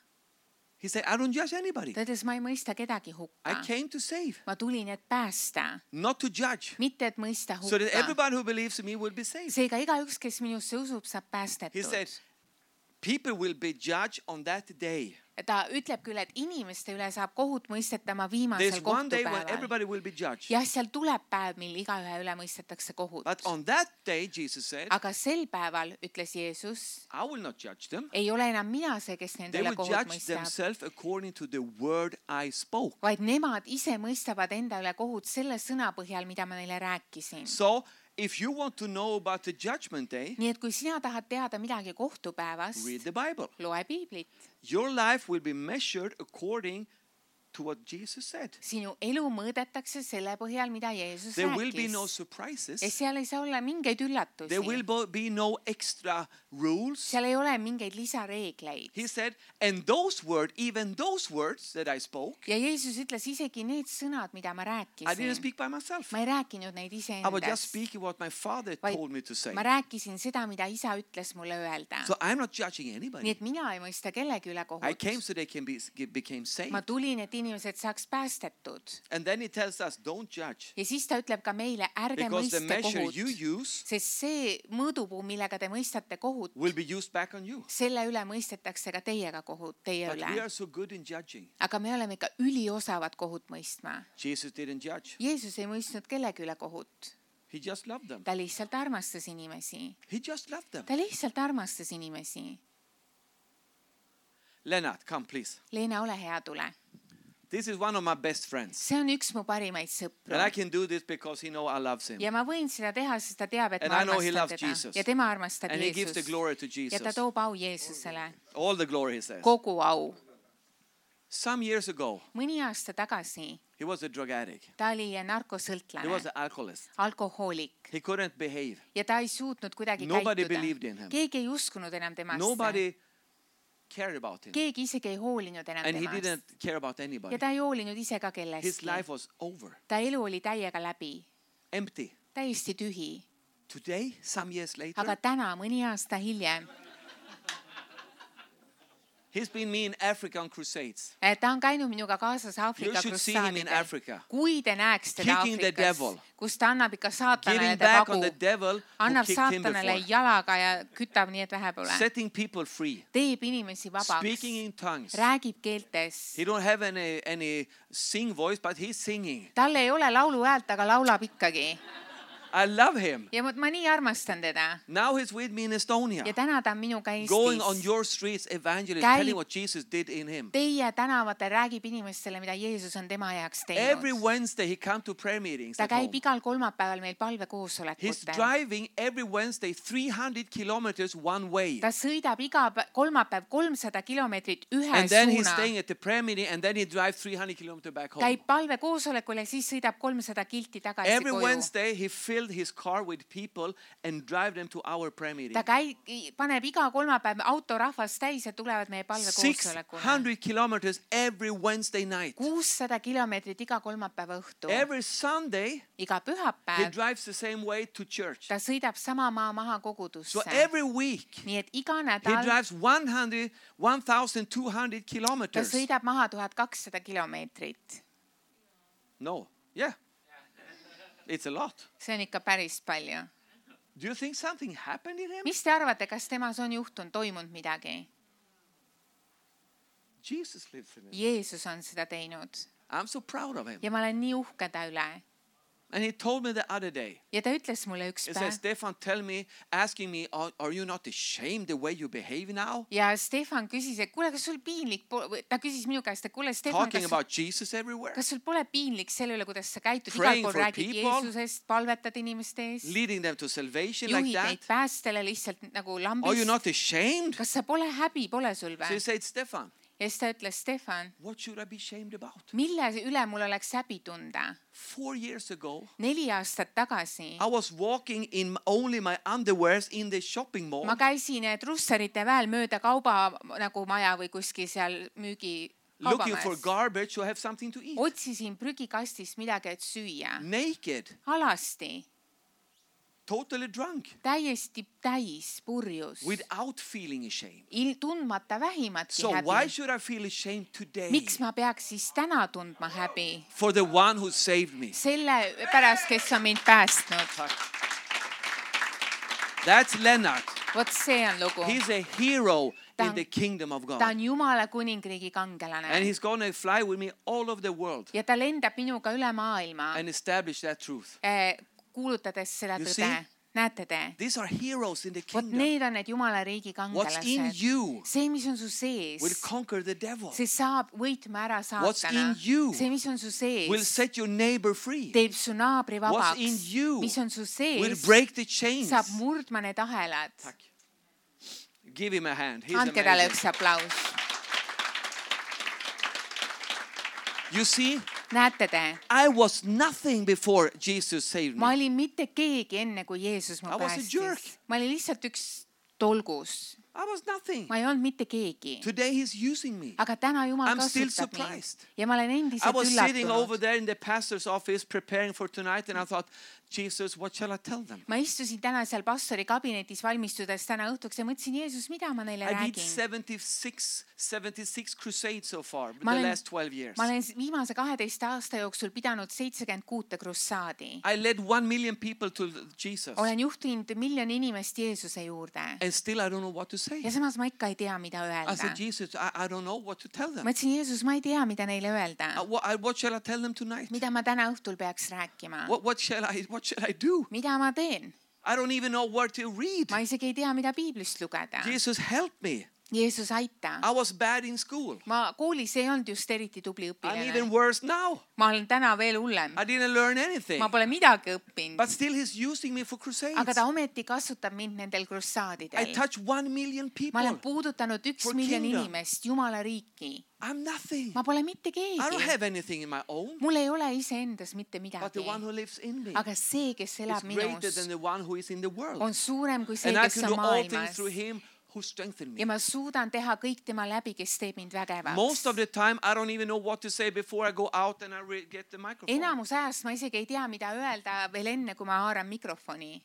He said, I don't judge anybody. ta ütles, ma ei mõista kedagi I hukka. came to save, ma tulin, et päästa, not to judge. mitte et mõista So that hukka. everybody who believes in me will be saved. seega igaüks, kes minusse usub, saab He said, päästetud. people will be judged on that day. ta ütleb küll, et inimeste üle saab kohut mõistetama There's viimasel one day when kohtupäeval. everybody will be judged. jah, seal tuleb päev, mil igaühe üle mõistetakse kohut. But on that day, Jesus said, aga sel päeval, ütles Jeesus, I will not judge them. ei ole enam mina see, kes nende They üle will kohut judge mõistab, themselves according to the word I spoke. vaid nemad ise mõistavad enda üle kohut selle sõna põhjal, mida ma neile rääkisin. So, if you want to know about the judgment day, nii et kui sina tahad teada midagi kohtupäevast, read the Bible. loe piiblit. Your life will be measured according to what Jesus said. sinu elu mõõdetakse selle põhjal, mida Jeesus There will be rääkis. no ja surprises. seal ei saa olla mingeid üllatusi. There will bo- be no extra rules. seal ei ole mingeid lisareegleid. He said, and those words, even those words that I spoke, ja Jeesus ütles, isegi need sõnad, mida ma I didn't rääkisin, speak by myself. ma ei rääkinud neid I was just iseendast, speaking what my Father vaid told me to say. ma rääkisin seda, mida isa ütles mulle öelda. So I'm not judging nii anybody. et mina ei mõista kellegi üle I kohut. came so they can be became saved. ma tulin, et inimesed saaks päästetud. And then he tells us, don't judge. ja siis ta ütleb ka meile, ärge Because the mõiste measure kohut, you use sest see mõõdupuu, millega te mõistate kohut, will be used back on you. selle üle mõistetakse ka teiega kohut, teie But we üle. are so good in judging. aga me oleme ikka üliosavad kohut mõistma. Jesus didn't judge. Jeesus ei mõistnud kellegi üle kohut. He just loved them. ta lihtsalt armastas inimesi. He just loved them. ta lihtsalt armastas inimesi. Lennart, come please. Leena, ole hea, tule. This is one of my best friends. see on üks mu parimaid sõpru. And I can do this because he know I love him. ja ma võin seda teha, sest ta teab, et And ma I know he armastan loves teda. Jesus. ja tema armastab And he gives the Jeesust. glory to ja ta Jesus. toob au Jeesusele. All the glory, he says. kogu au. Some years ago, mõni aasta tagasi He was a drug addict. ta oli He was narkosõltlane, an alcoholist. alkohoolik He couldn't behave. ja ta ei suutnud kuidagi Nobody believed in käituda. him. keegi ei uskunud enam temasse. Nobody cared about him. keegi isegi ei hoolinud enam And he temast. didn't care about anybody. ja ta ei hoolinud ise ka His kellestki. life was over. ta elu oli täiega läbi, Empty. täiesti tühi. Today, some years later, aga täna, mõni aasta hiljem, he's been me in Africa on crusades. ta on käinud minuga kaasas You Aafrika should see him in krussaadidel. Africa. kui te näeks teda Kicking the Aafrikas, devil. kus ta annab ikka saatanale Giving ta back vagu, on the devil who annab kicked him saatanale before. jalaga ja kütab nii, et vähe pole. Setting people free. teeb inimesi vabaks, Speaking in tongues. räägib keeltes. He don't have any, any sing voice, but he's singing. tal ei ole lauluhäält, aga laulab ikkagi. I love him. ja ma, ma nii armastan teda. Now he's with me in Estonia. ja täna ta on minuga Going on Eestis. your streets, evangelist, Käib- telling what Jesus did in him. Teie tänavatel räägib inimestele, mida Jeesus on tema heaks Every teinud. Wednesday he come to prayer meetings ta at käib home. igal kolmapäeval meil He's palvekoosolekutel. driving every Wednesday three hundred kilometers one way. ta sõidab iga pä- kolmapäev kolmsada kilomeetrit ühe And then he's suuna. staying at the prayer meeting and then he drives three hundred kilometers back home. käib palvekoosolekul ja siis sõidab kolmsada kilti tagasi Every koju. Wednesday he filled his car with people and drive them to our prayer meeting. ta käib, paneb iga kolmapäev auto rahvast täis ja tulevad meie six palvekoosolekule. hundred kilometers every Wednesday night. kuussada kilomeetrit iga kolmapäeva õhtu. Every Sunday iga he pühapäev drives the same way to church. ta sõidab sama maa maha So kogudusse. every week nii et iga he nädal drives one hundred, one thousand two hundred ta kilometers. sõidab maha tuhat kakssada kilomeetrit. No, yeah. It's a lot. see on ikka päris palju. Do you think something happened in him? mis te arvate, kas temas on juhtunud, toimunud midagi? Jesus lives in him. Jeesus on seda teinud I'm so proud of him. ja ma olen nii uhke ta üle. And he told me the other day, ja ta ütles mulle üks he päev said, Stefan, tell me, asking me, are, are you not ashamed the way you behave now? ja Stefan küsis, et kuule, kas sul piinlik po-, või ta küsis minu käest, et kuule, Stefan, Talking kas, about Jesus everywhere, kas sul pole piinlik selle üle, kuidas sa käitud, igal Praying pool for räägid people. Jeesusest, palvetad inimeste ees, leading them to salvation like juhid neid that. päästele lihtsalt nagu Are you lambist. not ashamed? kas sa pole häbi, pole sul So he või? said, Stefan, ja siis ta ütles, Stefan, what should I be ashamed about? mille üle mul oleks häbi tunda? Four years ago, neli aastat tagasi I was walking in only my underwears in the shopping mall. ma käisin trusserite väel mööda kauba nagu maja või kuskil seal müügi Looking for kaubamajas. garbage to have something to eat. otsisin prügikastist midagi, et süüa. Naked, alasti, totally drunk, täiesti täis, purjus, without feeling ashamed. il- tundmata vähimatki So why häbi. should I feel ashamed today? miks ma peaks siis täna tundma häbi? For the one who saved me. selle pärast, kes on mind päästnud. That's Leonard. vot see on lugu. He's a hero Ta in on- the kingdom of ta God. on Jumala kuningriigi kangelane And he's going to fly with me all over the world ja ta lendab minuga üle maailma, and establish that truth. eh, kuulutades seda You tõde. see? näete te? These are heroes in the vot kingdom. need on need Jumala riigi What's in kangelased. you see, mis on su sees, will conquer the devil. see saab võitma ära What's saatana. in you see, mis on su Will sees, set your neighbor free. teeb su naabri What's in vabaks. you mis on su Will sees, break the chains. saab murdma need ahelad. Give him a hand. He's andke talle amazing. üks aplaus. You see, näete te, I was nothing before Jesus saved ma me. olin mitte keegi enne, kui Jeesus mu I was a jerk. päästis. ma olin lihtsalt üks tolgus. I was nothing. ma ei olnud mitte keegi. Today he's using me. aga täna Jumal I'm still kasutab mind surprised. ja ma olen I endiselt was sitting over üllatunud. there in the pastor's office preparing for tonight and I thought, Jesus, what shall I tell them? ma istusin täna seal pastori kabinetis valmistudes täna õhtuks ja mõtlesin, Jeesus, mida ma neile I did räägin. seventy-six, seventy-six crusades so far, Ma the olen- last twelve years. ma olen viimase kaheteist aasta jooksul pidanud seitsekümmend kuute krussaadi. I led one million people to Jesus. olen juhtinud miljoni inimest Jeesuse juurde And still I don't know what to say. ja samas ma ikka ei tea, mida I öelda. said, Jesus, I, I don't know what to tell them. ma ütlesin, Jeesus, ma ei tea, mida neile öelda. Uh, what, I, what shall I tell them tonight? mida ma täna õhtul peaks rääkima? What, what, shall I, what shall I do? mida ma teen? I don't even know where to read. ma isegi ei tea, mida piiblist lugeda. Jesus, help me. Jeesus, aita. I was bad in school. Ma koolis ei olnud just eriti tubli I'm õpilane. even worse now. Ma olen täna veel hullem. I didn't learn anything. Ma pole midagi õppinud. But still he's using me for crusades. Aga ta ometi kasutab mind nendel I krussaadidel. touch one million Ma olen people. puudutanud üks For miljon kingdom. inimest, Jumala riiki. I'm nothing. Ma pole mitte I don't keegi. have anything in my own. Mul ei ole iseendas mitte But the midagi. one who lives in me Aga see, kes is elab greater than minus, the one who is in the world. on suurem kui see, And I kes can on do all things maailmas. through him who strengthened me. Ja ma suudan teha kõik tema läbi, kes teeb mind vägevaks. Most of the time, I don't even know what to say before I go out and I re- get the microphone. Enamus ajast ma isegi ei tea, mida öelda veel enne, kui ma haaran mikrofoni.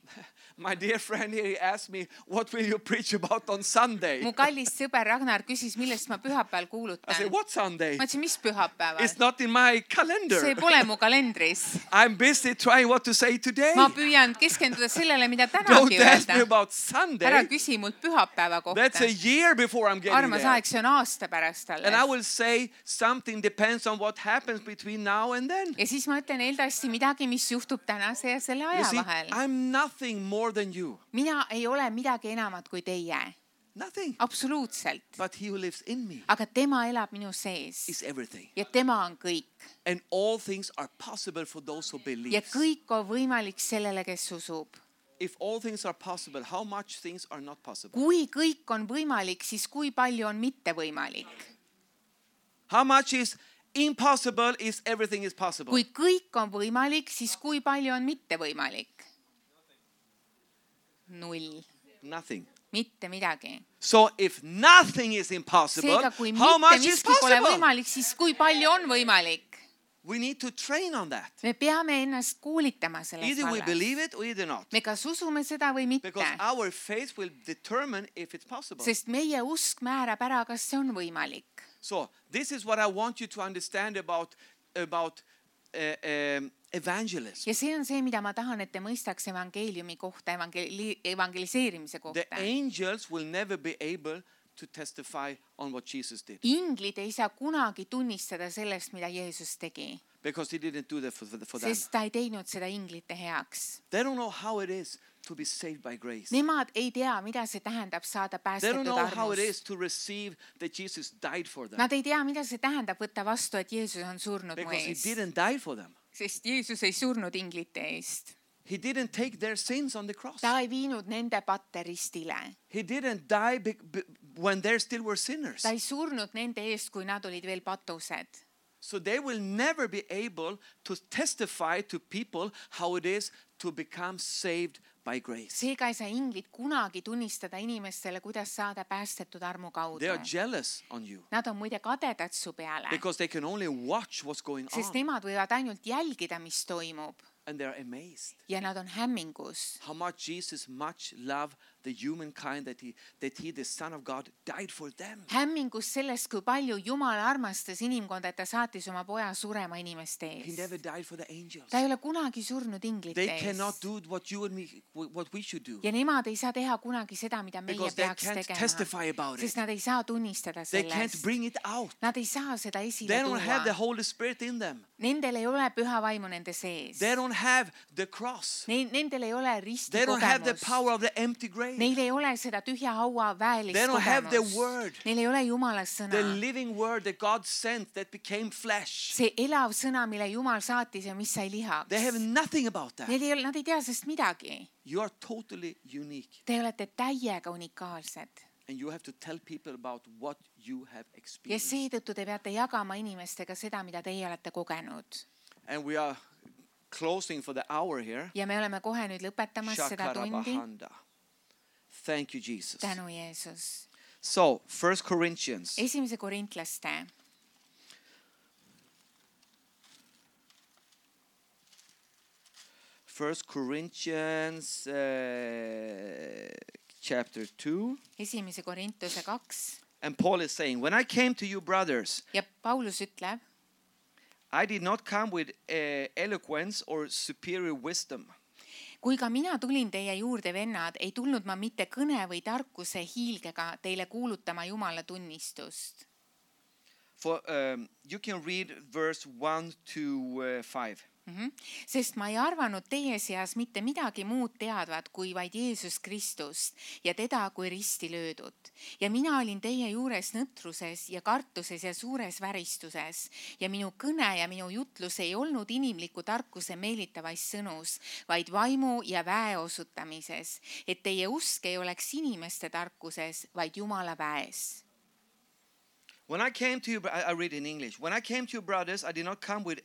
My dear friend here, he asked me, what will you preach about on Sunday? Mu kallis sõber Ragnar küsis, millest ma pühapäeval I kuulutan. said, what Sunday? Ma ütlesin, mis pühapäeval? It's not in my See calendar. pole mu kalendris. I'm busy trying what to say today. Ma püüan keskenduda sellele, mida Don't tänagi ask me öelda. about Ära Sunday. küsi mult pühapäeva That's a kohta. year before I'm getting Armas there. aeg, see on aasta pärast And I alles. will say something depends on what happens between now and then. Ja siis ma ütlen eeldavasti midagi, mis juhtub tänase ja selle You aja see, vahel. I'm nothing more than you. Mina ei ole midagi enamat kui teie. Nothing. Absoluutselt. But he who lives in me Aga tema elab minu sees. is everything. Ja tema on kõik. And all things are possible for those who Ja believe. kõik on võimalik sellele, kes usub. If all things are possible, how much things are not possible? Kui kõik on võimalik, siis kui palju on mitte võimalik? How much is impossible is everything is possible? Kui kõik on võimalik, siis kui palju on mitte võimalik? Null. Nothing. Mitte midagi. So if nothing is impossible, Seega, kui how mitte much is miski pole possible? võimalik, siis kui palju on võimalik? We need to train on that. Me peame ennast koolitama selles Either we vallas. believe it or either not. Me kas usume seda või mitte. Because our faith will determine if it's possible. Sest meie usk määrab ära, kas see on võimalik. So this is what I want you to understand about, about uh, um, evangelism. Ja see on see, mida ma tahan, et te mõistaks evangeeliumi kohta, evangeli- evangeliseerimise The kohta. angels will never be able to testify on what Jesus did. Inglid ei saa kunagi tunnistada sellest, mida Jeesus tegi. Because he didn't do that for, for them. Sest ta ei teinud seda inglite heaks. They don't know how it is to be saved by grace. Nemad ei tea, mida see tähendab saada They don't päästetud know how it armust. is to receive that Jesus died for them. Nad ei tea, mida see tähendab võtta vastu, et Jeesus on surnud mu Because he eest. didn't die for them. Sest Jeesus ei surnud inglite eest. He didn't take their sins on the cross. Ta ei viinud nende patte ristile. He didn't die be, be, when they still were sinners. Ta ei surnud nende eest, kui nad olid veel patused. So they will never be able to testify to people how it is to become saved by grace. Seega ei saa inglid kunagi tunnistada inimestele, kuidas saada päästetud armu kaudu. They are jealous on you Nad on muide kadedad su peale. because they can only watch what's going Sest on nemad võivad ainult jälgida, mis toimub. and they're amazed Ja nad on hämmingus. how much Jesus much loved the humankind that he that he the Son of God died for them. Hämmingus sellest, kui palju Jumal armastas inimkonda, et ta saatis oma poja surema inimeste He ees. never died for the angels. Ta ei ole kunagi surnud inglite They ees. cannot do what you and me what we should do Ja nemad ei saa teha kunagi seda, mida meie because they peaks can't tegema. testify about it. Sest nad ei saa tunnistada They can't sellest. bring it out. Nad ei saa seda esile They don't have the tuua. Holy Spirit in them. Nendel ei ole püha vaimu nende sees. They don't have the cross. Nendel ei ole risti They don't have the kogemust. power of the empty grave. Neil ei ole seda tühja haua väelist They don't have the kogemust. word. Neil ei ole Jumala sõna. The living word that God sent that became flesh. See elav sõna, mille Jumal saatis ja mis sai lihaks. They have nothing about that. Neil ei ole, nad ei tea sest midagi. You are totally unique. Te olete täiega unikaalsed. And you have to tell people about what you have Ja experienced. seetõttu te peate jagama inimestega seda, mida teie olete kogenud. And we are closing for the hour here. Ja me oleme kohe nüüd lõpetamas seda tundi. Shakarabahanda. Thank you, Jesus. Tänu Jeesus. So, First Corinthians. Esimese korintlaste. First Corinthians uh, chapter two. Esimese korintuse kaks. And Paul is saying, when I came to you, brothers, Ja Paulus ütleb, I did not come with uh, eloquence or superior wisdom. kui ka mina tulin teie juurde, vennad, ei tulnud ma mitte kõne või tarkuse hiilgega teile kuulutama Jumala tunnistust. For um, you can read verse one to uh, five. Mm-hmm. Sest ma ei arvanud teie seas mitte midagi muud teadvat kui vaid Jeesus Kristust ja teda kui risti löödud. Ja mina olin teie juures nõtruses ja kartuses ja suures väristuses ja minu kõne ja minu jutlus ei olnud inimliku tarkuse meelitavais sõnus, vaid vaimu ja väe osutamises, et teie usk ei oleks inimeste tarkuses, vaid Jumala väes. When I came to you, I read in English. When I came to you, brothers, I did not come with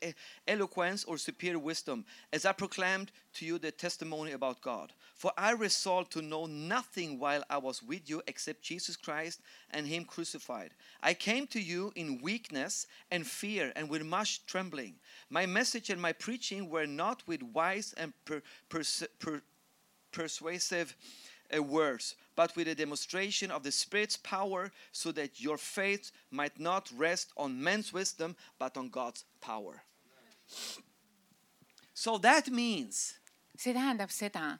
eloquence or superior wisdom, as I proclaimed to you the testimony about God. For I resolved to know nothing while I was with you except Jesus Christ and Him crucified. I came to you in weakness and fear and with much trembling. My message and my preaching were not with wise and per, pers, per, persuasive uh, words, but with a demonstration of the Spirit's power, so that your faith might not rest on men's wisdom, but on God's power. So that means See tähendab seda,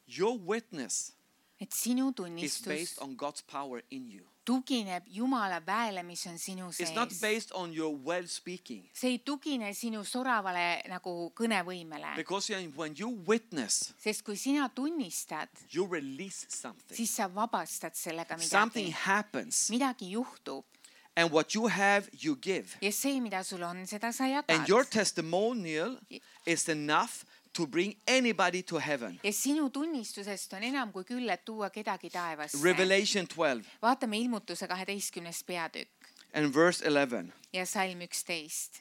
your witness et sinu is tunnistus based on God's power in you. tugineb Jumala väele, mis on sinu It's not sees. based on your well speaking. See ei tugine sinu soravale nagu kõnevõimele. Because when you witness, Sest kui sina tunnistad, you release something. siis sa vabastad sellega Something midagi. happens. Midagi juhtub And what you have, you give. ja see, mida sul on, seda sa And your jagad. testimonial is enough to bring anybody to heaven. Ja sinu tunnistusest on enam kui küll, et tuua kedagi taevasse. Revelation twelve Vaatame ilmutuse kaheteistkümnes peatükk and verse eleven. ja salm üksteist.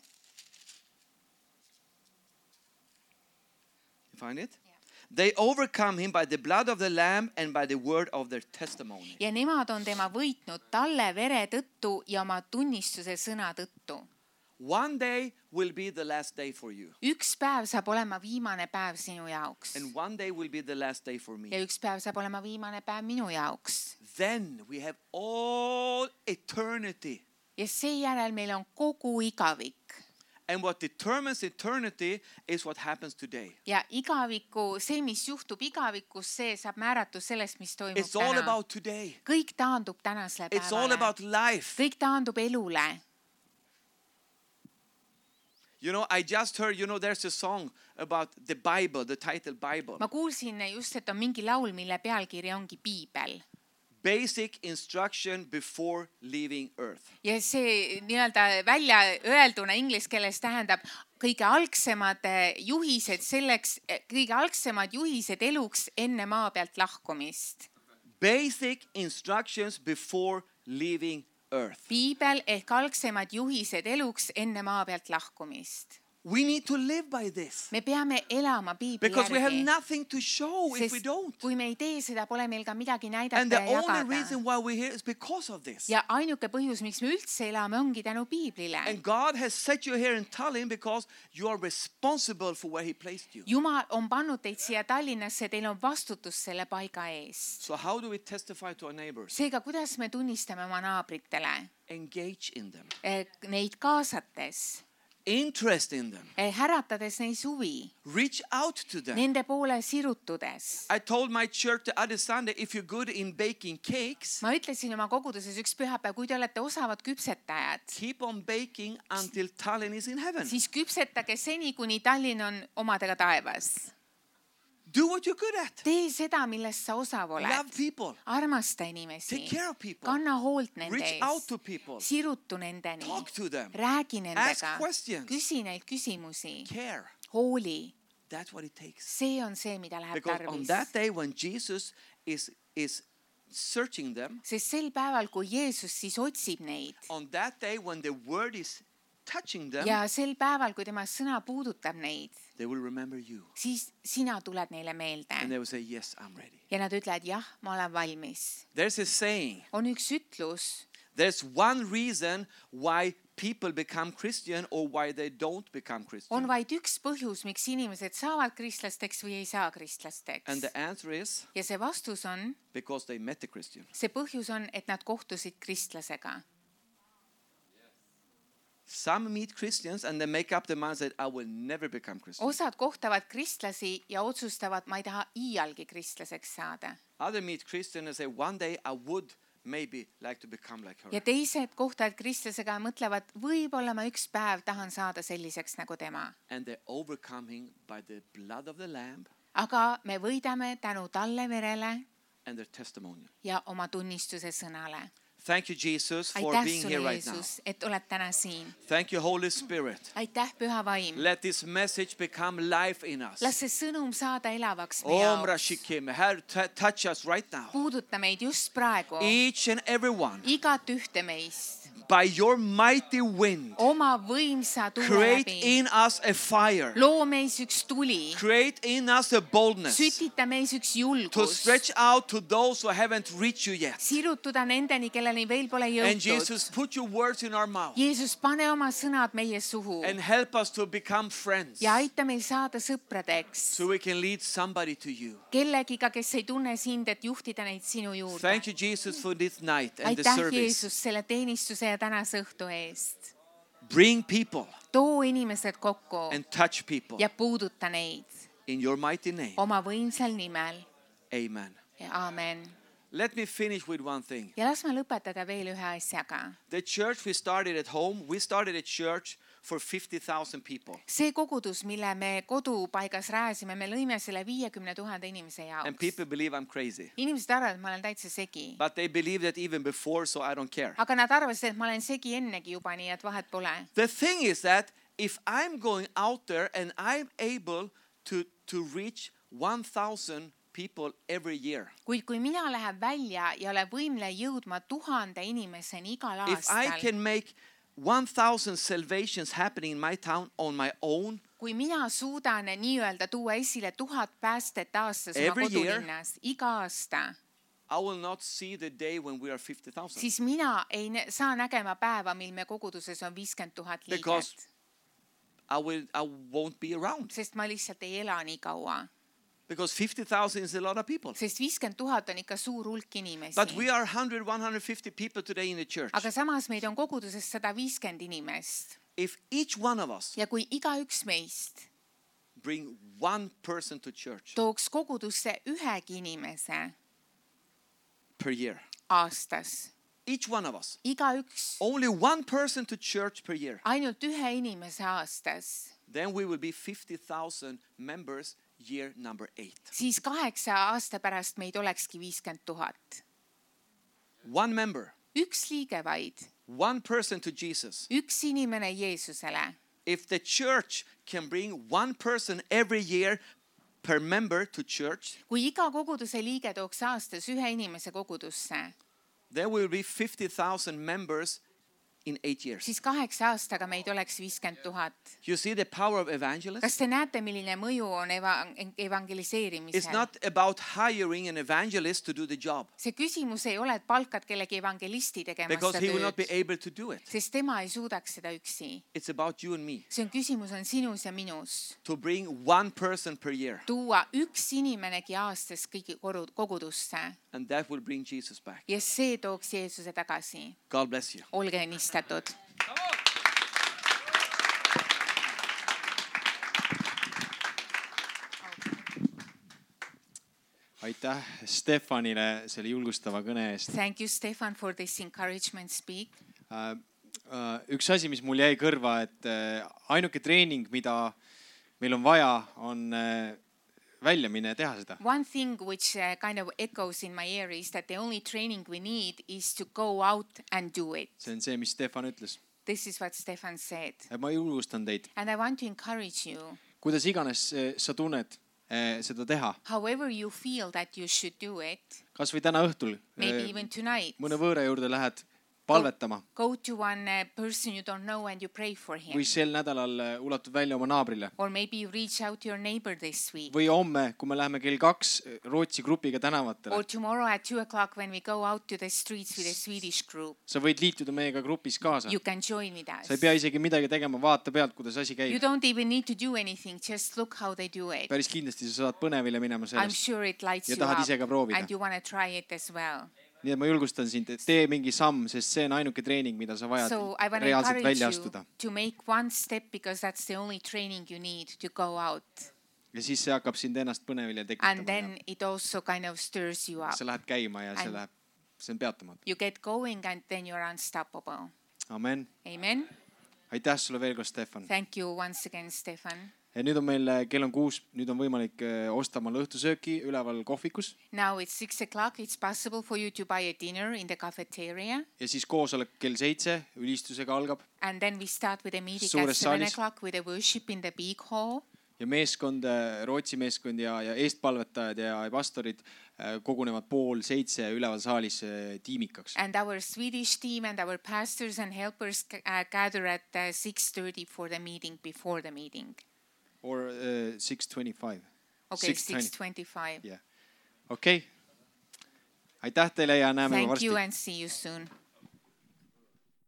You find it? They overcome him by the blood of the Lamb and by the word of their testimony. Ja nemad on tema võitnud talle vere tõttu ja oma tunnistuse sõna tõttu. One day will be the last day for you. Üks päev saab olema viimane päev sinu jaoks. And one day will be the last day for me. Ja üks päev saab olema viimane päev minu jaoks. Then we have all eternity. Ja seejärel meil on kogu igavik. And what determines eternity is what happens today. Ja igaviku, see, mis juhtub igavikus, see saab määratus sellest, mis toimub It's all täna. about today. Kõik taandub tänasele It's all päevale. about life. Kõik taandub elule. You know, I just heard, you know, there's a song about the Bible, the title Bible. Ma kuulsin just, et on mingi laul, mille pealkiri ongi Piibel. Basic instruction before leaving earth. Ja see nii-öelda välja öelduna inglise keeles tähendab kõige algsemad juhised selleks, kõige algsemad juhised eluks enne maa pealt lahkumist. Basic instructions before leaving earth. Piibel ehk algsemad juhised eluks enne maa pealt lahkumist. We need to live by this. Me peame elama Piibli Because we have järgi. nothing to show if we Sest don't. kui me ei tee seda, pole meil ka midagi And näidata the ja only jagada. reason why we're here is because of this. Ja ainuke põhjus, miks me üldse elame, ongi tänu Piiblile. And God has set you here in Tallinn because you are responsible for where He placed you. Jumal on pannud teid siia Tallinnasse, teil on vastutus selle paiga ees. So how do we testify to our neighbors? Seega, kuidas me tunnistame oma naabritele? Engage in them. Eh, Neid kaasates, Interest in them. eh, häratades neis huvi, Reach out to them. nende poole sirutudes. I told my church the other Sunday, if you're good in baking cakes, Ma ütlesin oma koguduses üks pühapäev, kui te olete osavad küpsetajad, keep on baking until Tallinn is in heaven. siis küpsetage seni, kuni Tallinn on omadega taevas. Do what you're good at. Tee seda, millest sa osav Love oled. people. Armasta inimesi. Take care of people. Kanna hoolt nende Reach out ees. to people. Sirutu nendeni. Talk to them. Räägi Ask nendega. questions. Küsi neilt küsimusi. Care. Hooli. That's what it takes. See on see, mida läheb Because on tarvis. that day when Jesus is, is searching them, Sest sel päeval, kui Jeesus siis otsib neid on that day when the word is touching them, ja sel päeval, kui tema sõna puudutab neid, they will remember you. siis sina tuled neile meelde. And they will say, yes, I'm ready. Ja nad ütlevad, jah, ma olen valmis. There's a saying. On üks ütlus, There's one reason why people become Christian or why they don't become on Christian. vaid üks põhjus, miks inimesed saavad kristlasteks või ei saa And kristlasteks. the answer is Ja see vastus on, because they met the Christian. see põhjus on, et nad kohtusid kristlasega. Some meet Christians and they make up their mind that I will never become Christian. Osad kohtavad kristlasi ja otsustavad, ma ei taha iialgi kristlaseks saada. Other meet Christians and say one day I would maybe like to become like her. ja teised kohtavad kristlasega ja mõtlevad, võib-olla ma üks päev tahan saada selliseks nagu tema. And they're overcoming by the blood of the lamb aga me võidame tänu talle verele and their testimony. ja oma tunnistuse sõnale. Thank you, Jesus, for aitäh being here sulle, right now. Jeesus, et oled täna siin. Thank you, Holy Spirit. aitäh, Püha Vaim. Let this message become life in us. las see sõnum saada elavaks meie Om jaoks. Rashikim, Herr, t- touch us right now. puuduta meid just praegu, Each and every one, igat ühte meist, by your mighty wind, oma võimsa tule create läbi. in us a fire. loo meis üks tuli, Create in us a boldness sütita meis üks to julgus, stretch out to those who haven't reached you yet. sirutuda nendeni, kelleni veel pole And jõutud. Jesus, put your words in our mouth Jeesus, pane oma sõnad meie suhu and help us to become friends ja aita meil saada sõpradeks, so we can lead somebody to you. kellegiga, kes ei tunne sind, et juhtida neid sinu juurde. Thank you, Jesus, for this night and the aitäh, service. Jeesus, selle teenistuse ja tänase õhtu eest. Bring people too inimesed kokku and touch people ja puuduta neid in your mighty name. oma võimsal nimel. Amen. Aamen. Let me finish with one thing. ja las ma lõpetada veel ühe asjaga. The church we started at home, we started a church for fifty thousand people. see kogudus, mille me kodupaigas rajasime, me lõime selle viiekümne tuhande inimese And jaoks. people believe I'm crazy. inimesed arvavad, et ma olen täitsa segi. But they believe that even before, so I don't care. aga nad arvasid, et ma olen segi ennegi juba, nii et vahet pole. The thing is that if I'm going out there and I'm able to, to reach one thousand people every year, kuid kui mina lähen välja ja olen võimle jõudma tuhande inimeseni igal if I aastal, can make one thousand salvations happening in my town on my own, kui mina suudan nii-öelda tuua esile tuhat päästet aastas oma Every year. kodulinnas, iga aasta, I will not see the day when we are fifty thousand. siis mina ei nä- saa nägema päeva, mil me koguduses on viiskümmend tuhat Because liiget, I will I won't be around. sest ma lihtsalt ei ela nii kaua. Because fifty thousand is a lot of people. sest viiskümmend tuhat on ikka suur hulk inimesi. But we are one hundred, one hundred fifty people today in the church. aga samas meid on koguduses sada viiskümmend inimest If each one of us ja kui igaüks meist bring one person to church tooks kogudusse ühegi inimese per year, aastas, each one of us, igaüks only one person to church per year, ainult ühe inimese aastas, then we will be fifty thousand members year number eight. siis kaheksa aasta pärast meid olekski viiskümmend tuhat. One member, üks liige vaid, one person to Jesus. üks inimene Jeesusele. If the church can bring one person every year per member to church, kui iga koguduse liige tooks aastas ühe inimese kogudusse, there will be fifty thousand members in eight years. siis kaheksa aastaga meid oleks viiskümmend tuhat. You see the power of evangelism? kas te näete, milline mõju on eva- It's evangeliseerimisel? not about hiring an evangelist to do the job, see küsimus ei ole, et palkad kellegi evangelisti tegema because seda he will not be tööd, able to do it. sest tema ei suudaks seda üksi. It's about you and me see on küsimus on sinus ja minus. to bring one person per year, tuua üks inimenegi aastas kõigi koru- kogudusse and that will bring Jesus back. ja see tooks Jeesuse tagasi. God bless you. olge õnnistatud. aitäh Stefanile selle julgustava kõne eest. Thank you, Stefan, for this encouragement speak. Äh, äh, üks asi, mis mul jäi kõrva, et äh, ainuke treening, mida meil on vaja, on äh, välja minna ja teha seda. One thing which uh, kind of echoes in my ear is that the only training we need is to go out and do it. see on see, mis Stefan ütles. This is what Stefan said. ma julgustan teid, And I want to encourage you, kuidas iganes äh, sa tunned äh, seda teha, however you feel that you should do it, kasvõi täna õhtul maybe äh, even tonight, mõne võõra juurde lähed palvetama go to one uh, person you don't know and you pray for him. või sel nädalal äh, ulatud välja oma naabrile Or maybe you reach out to your neighbor this week. või homme, kui me läheme kell kaks Rootsi grupiga Or tänavatele, tomorrow at two o'clock when we go out to the streets with a Swedish group. sa võid liituda meiega grupis kaasa. You can join with us. sa ei pea isegi midagi tegema, vaata pealt, kuidas asi You käib. don't even need to do anything, just look how they do it. päris kindlasti sa saad põnevile minema I'm sellest. sure it lights Ja you tahad up ise ka proovida. and you want to try it as well. nii et ma julgustan sind, et tee mingi samm, sest see on ainuke treening, mida sa vajad So I want to reaalselt encourage välja you astuda. to make one step because that's the only training you need to go out. ja siis see hakkab sind ennast põnevile And tekitama. then it also kind of stirs you ja up sa lähed käima ja see And- läheb see on peatamatu. You get going and then you're unstoppable. Amen. Amen. Aitäh sulle veel kord, Stefan. Thank you once again, Stefan. Ja nüüd on meil, kell on kuus, nüüd on võimalik osta oma õhtusööki üleval kohvikus. Now it's six o'clock. It's possible for you to buy a dinner in the cafeteria. Ja siis koosolek kell seitse ülistusega algab. And then we start with a meeting Suures at seven saalis. o'clock with a worship in the big hall. Ja meeskond, Rootsi meeskond ja, ja eestpalvetajad ja pastorid kogunevad pool seitse üleval saalis tiimikaks. And our Swedish team and our pastors and helpers uh, gather at uh, six thirty for the meeting before the meeting. Or uh, six twenty-five. Okay, six twenty-five. Yeah. Okei. Okay. Aitäh teile ja näeme Thank varsti. you and see you soon.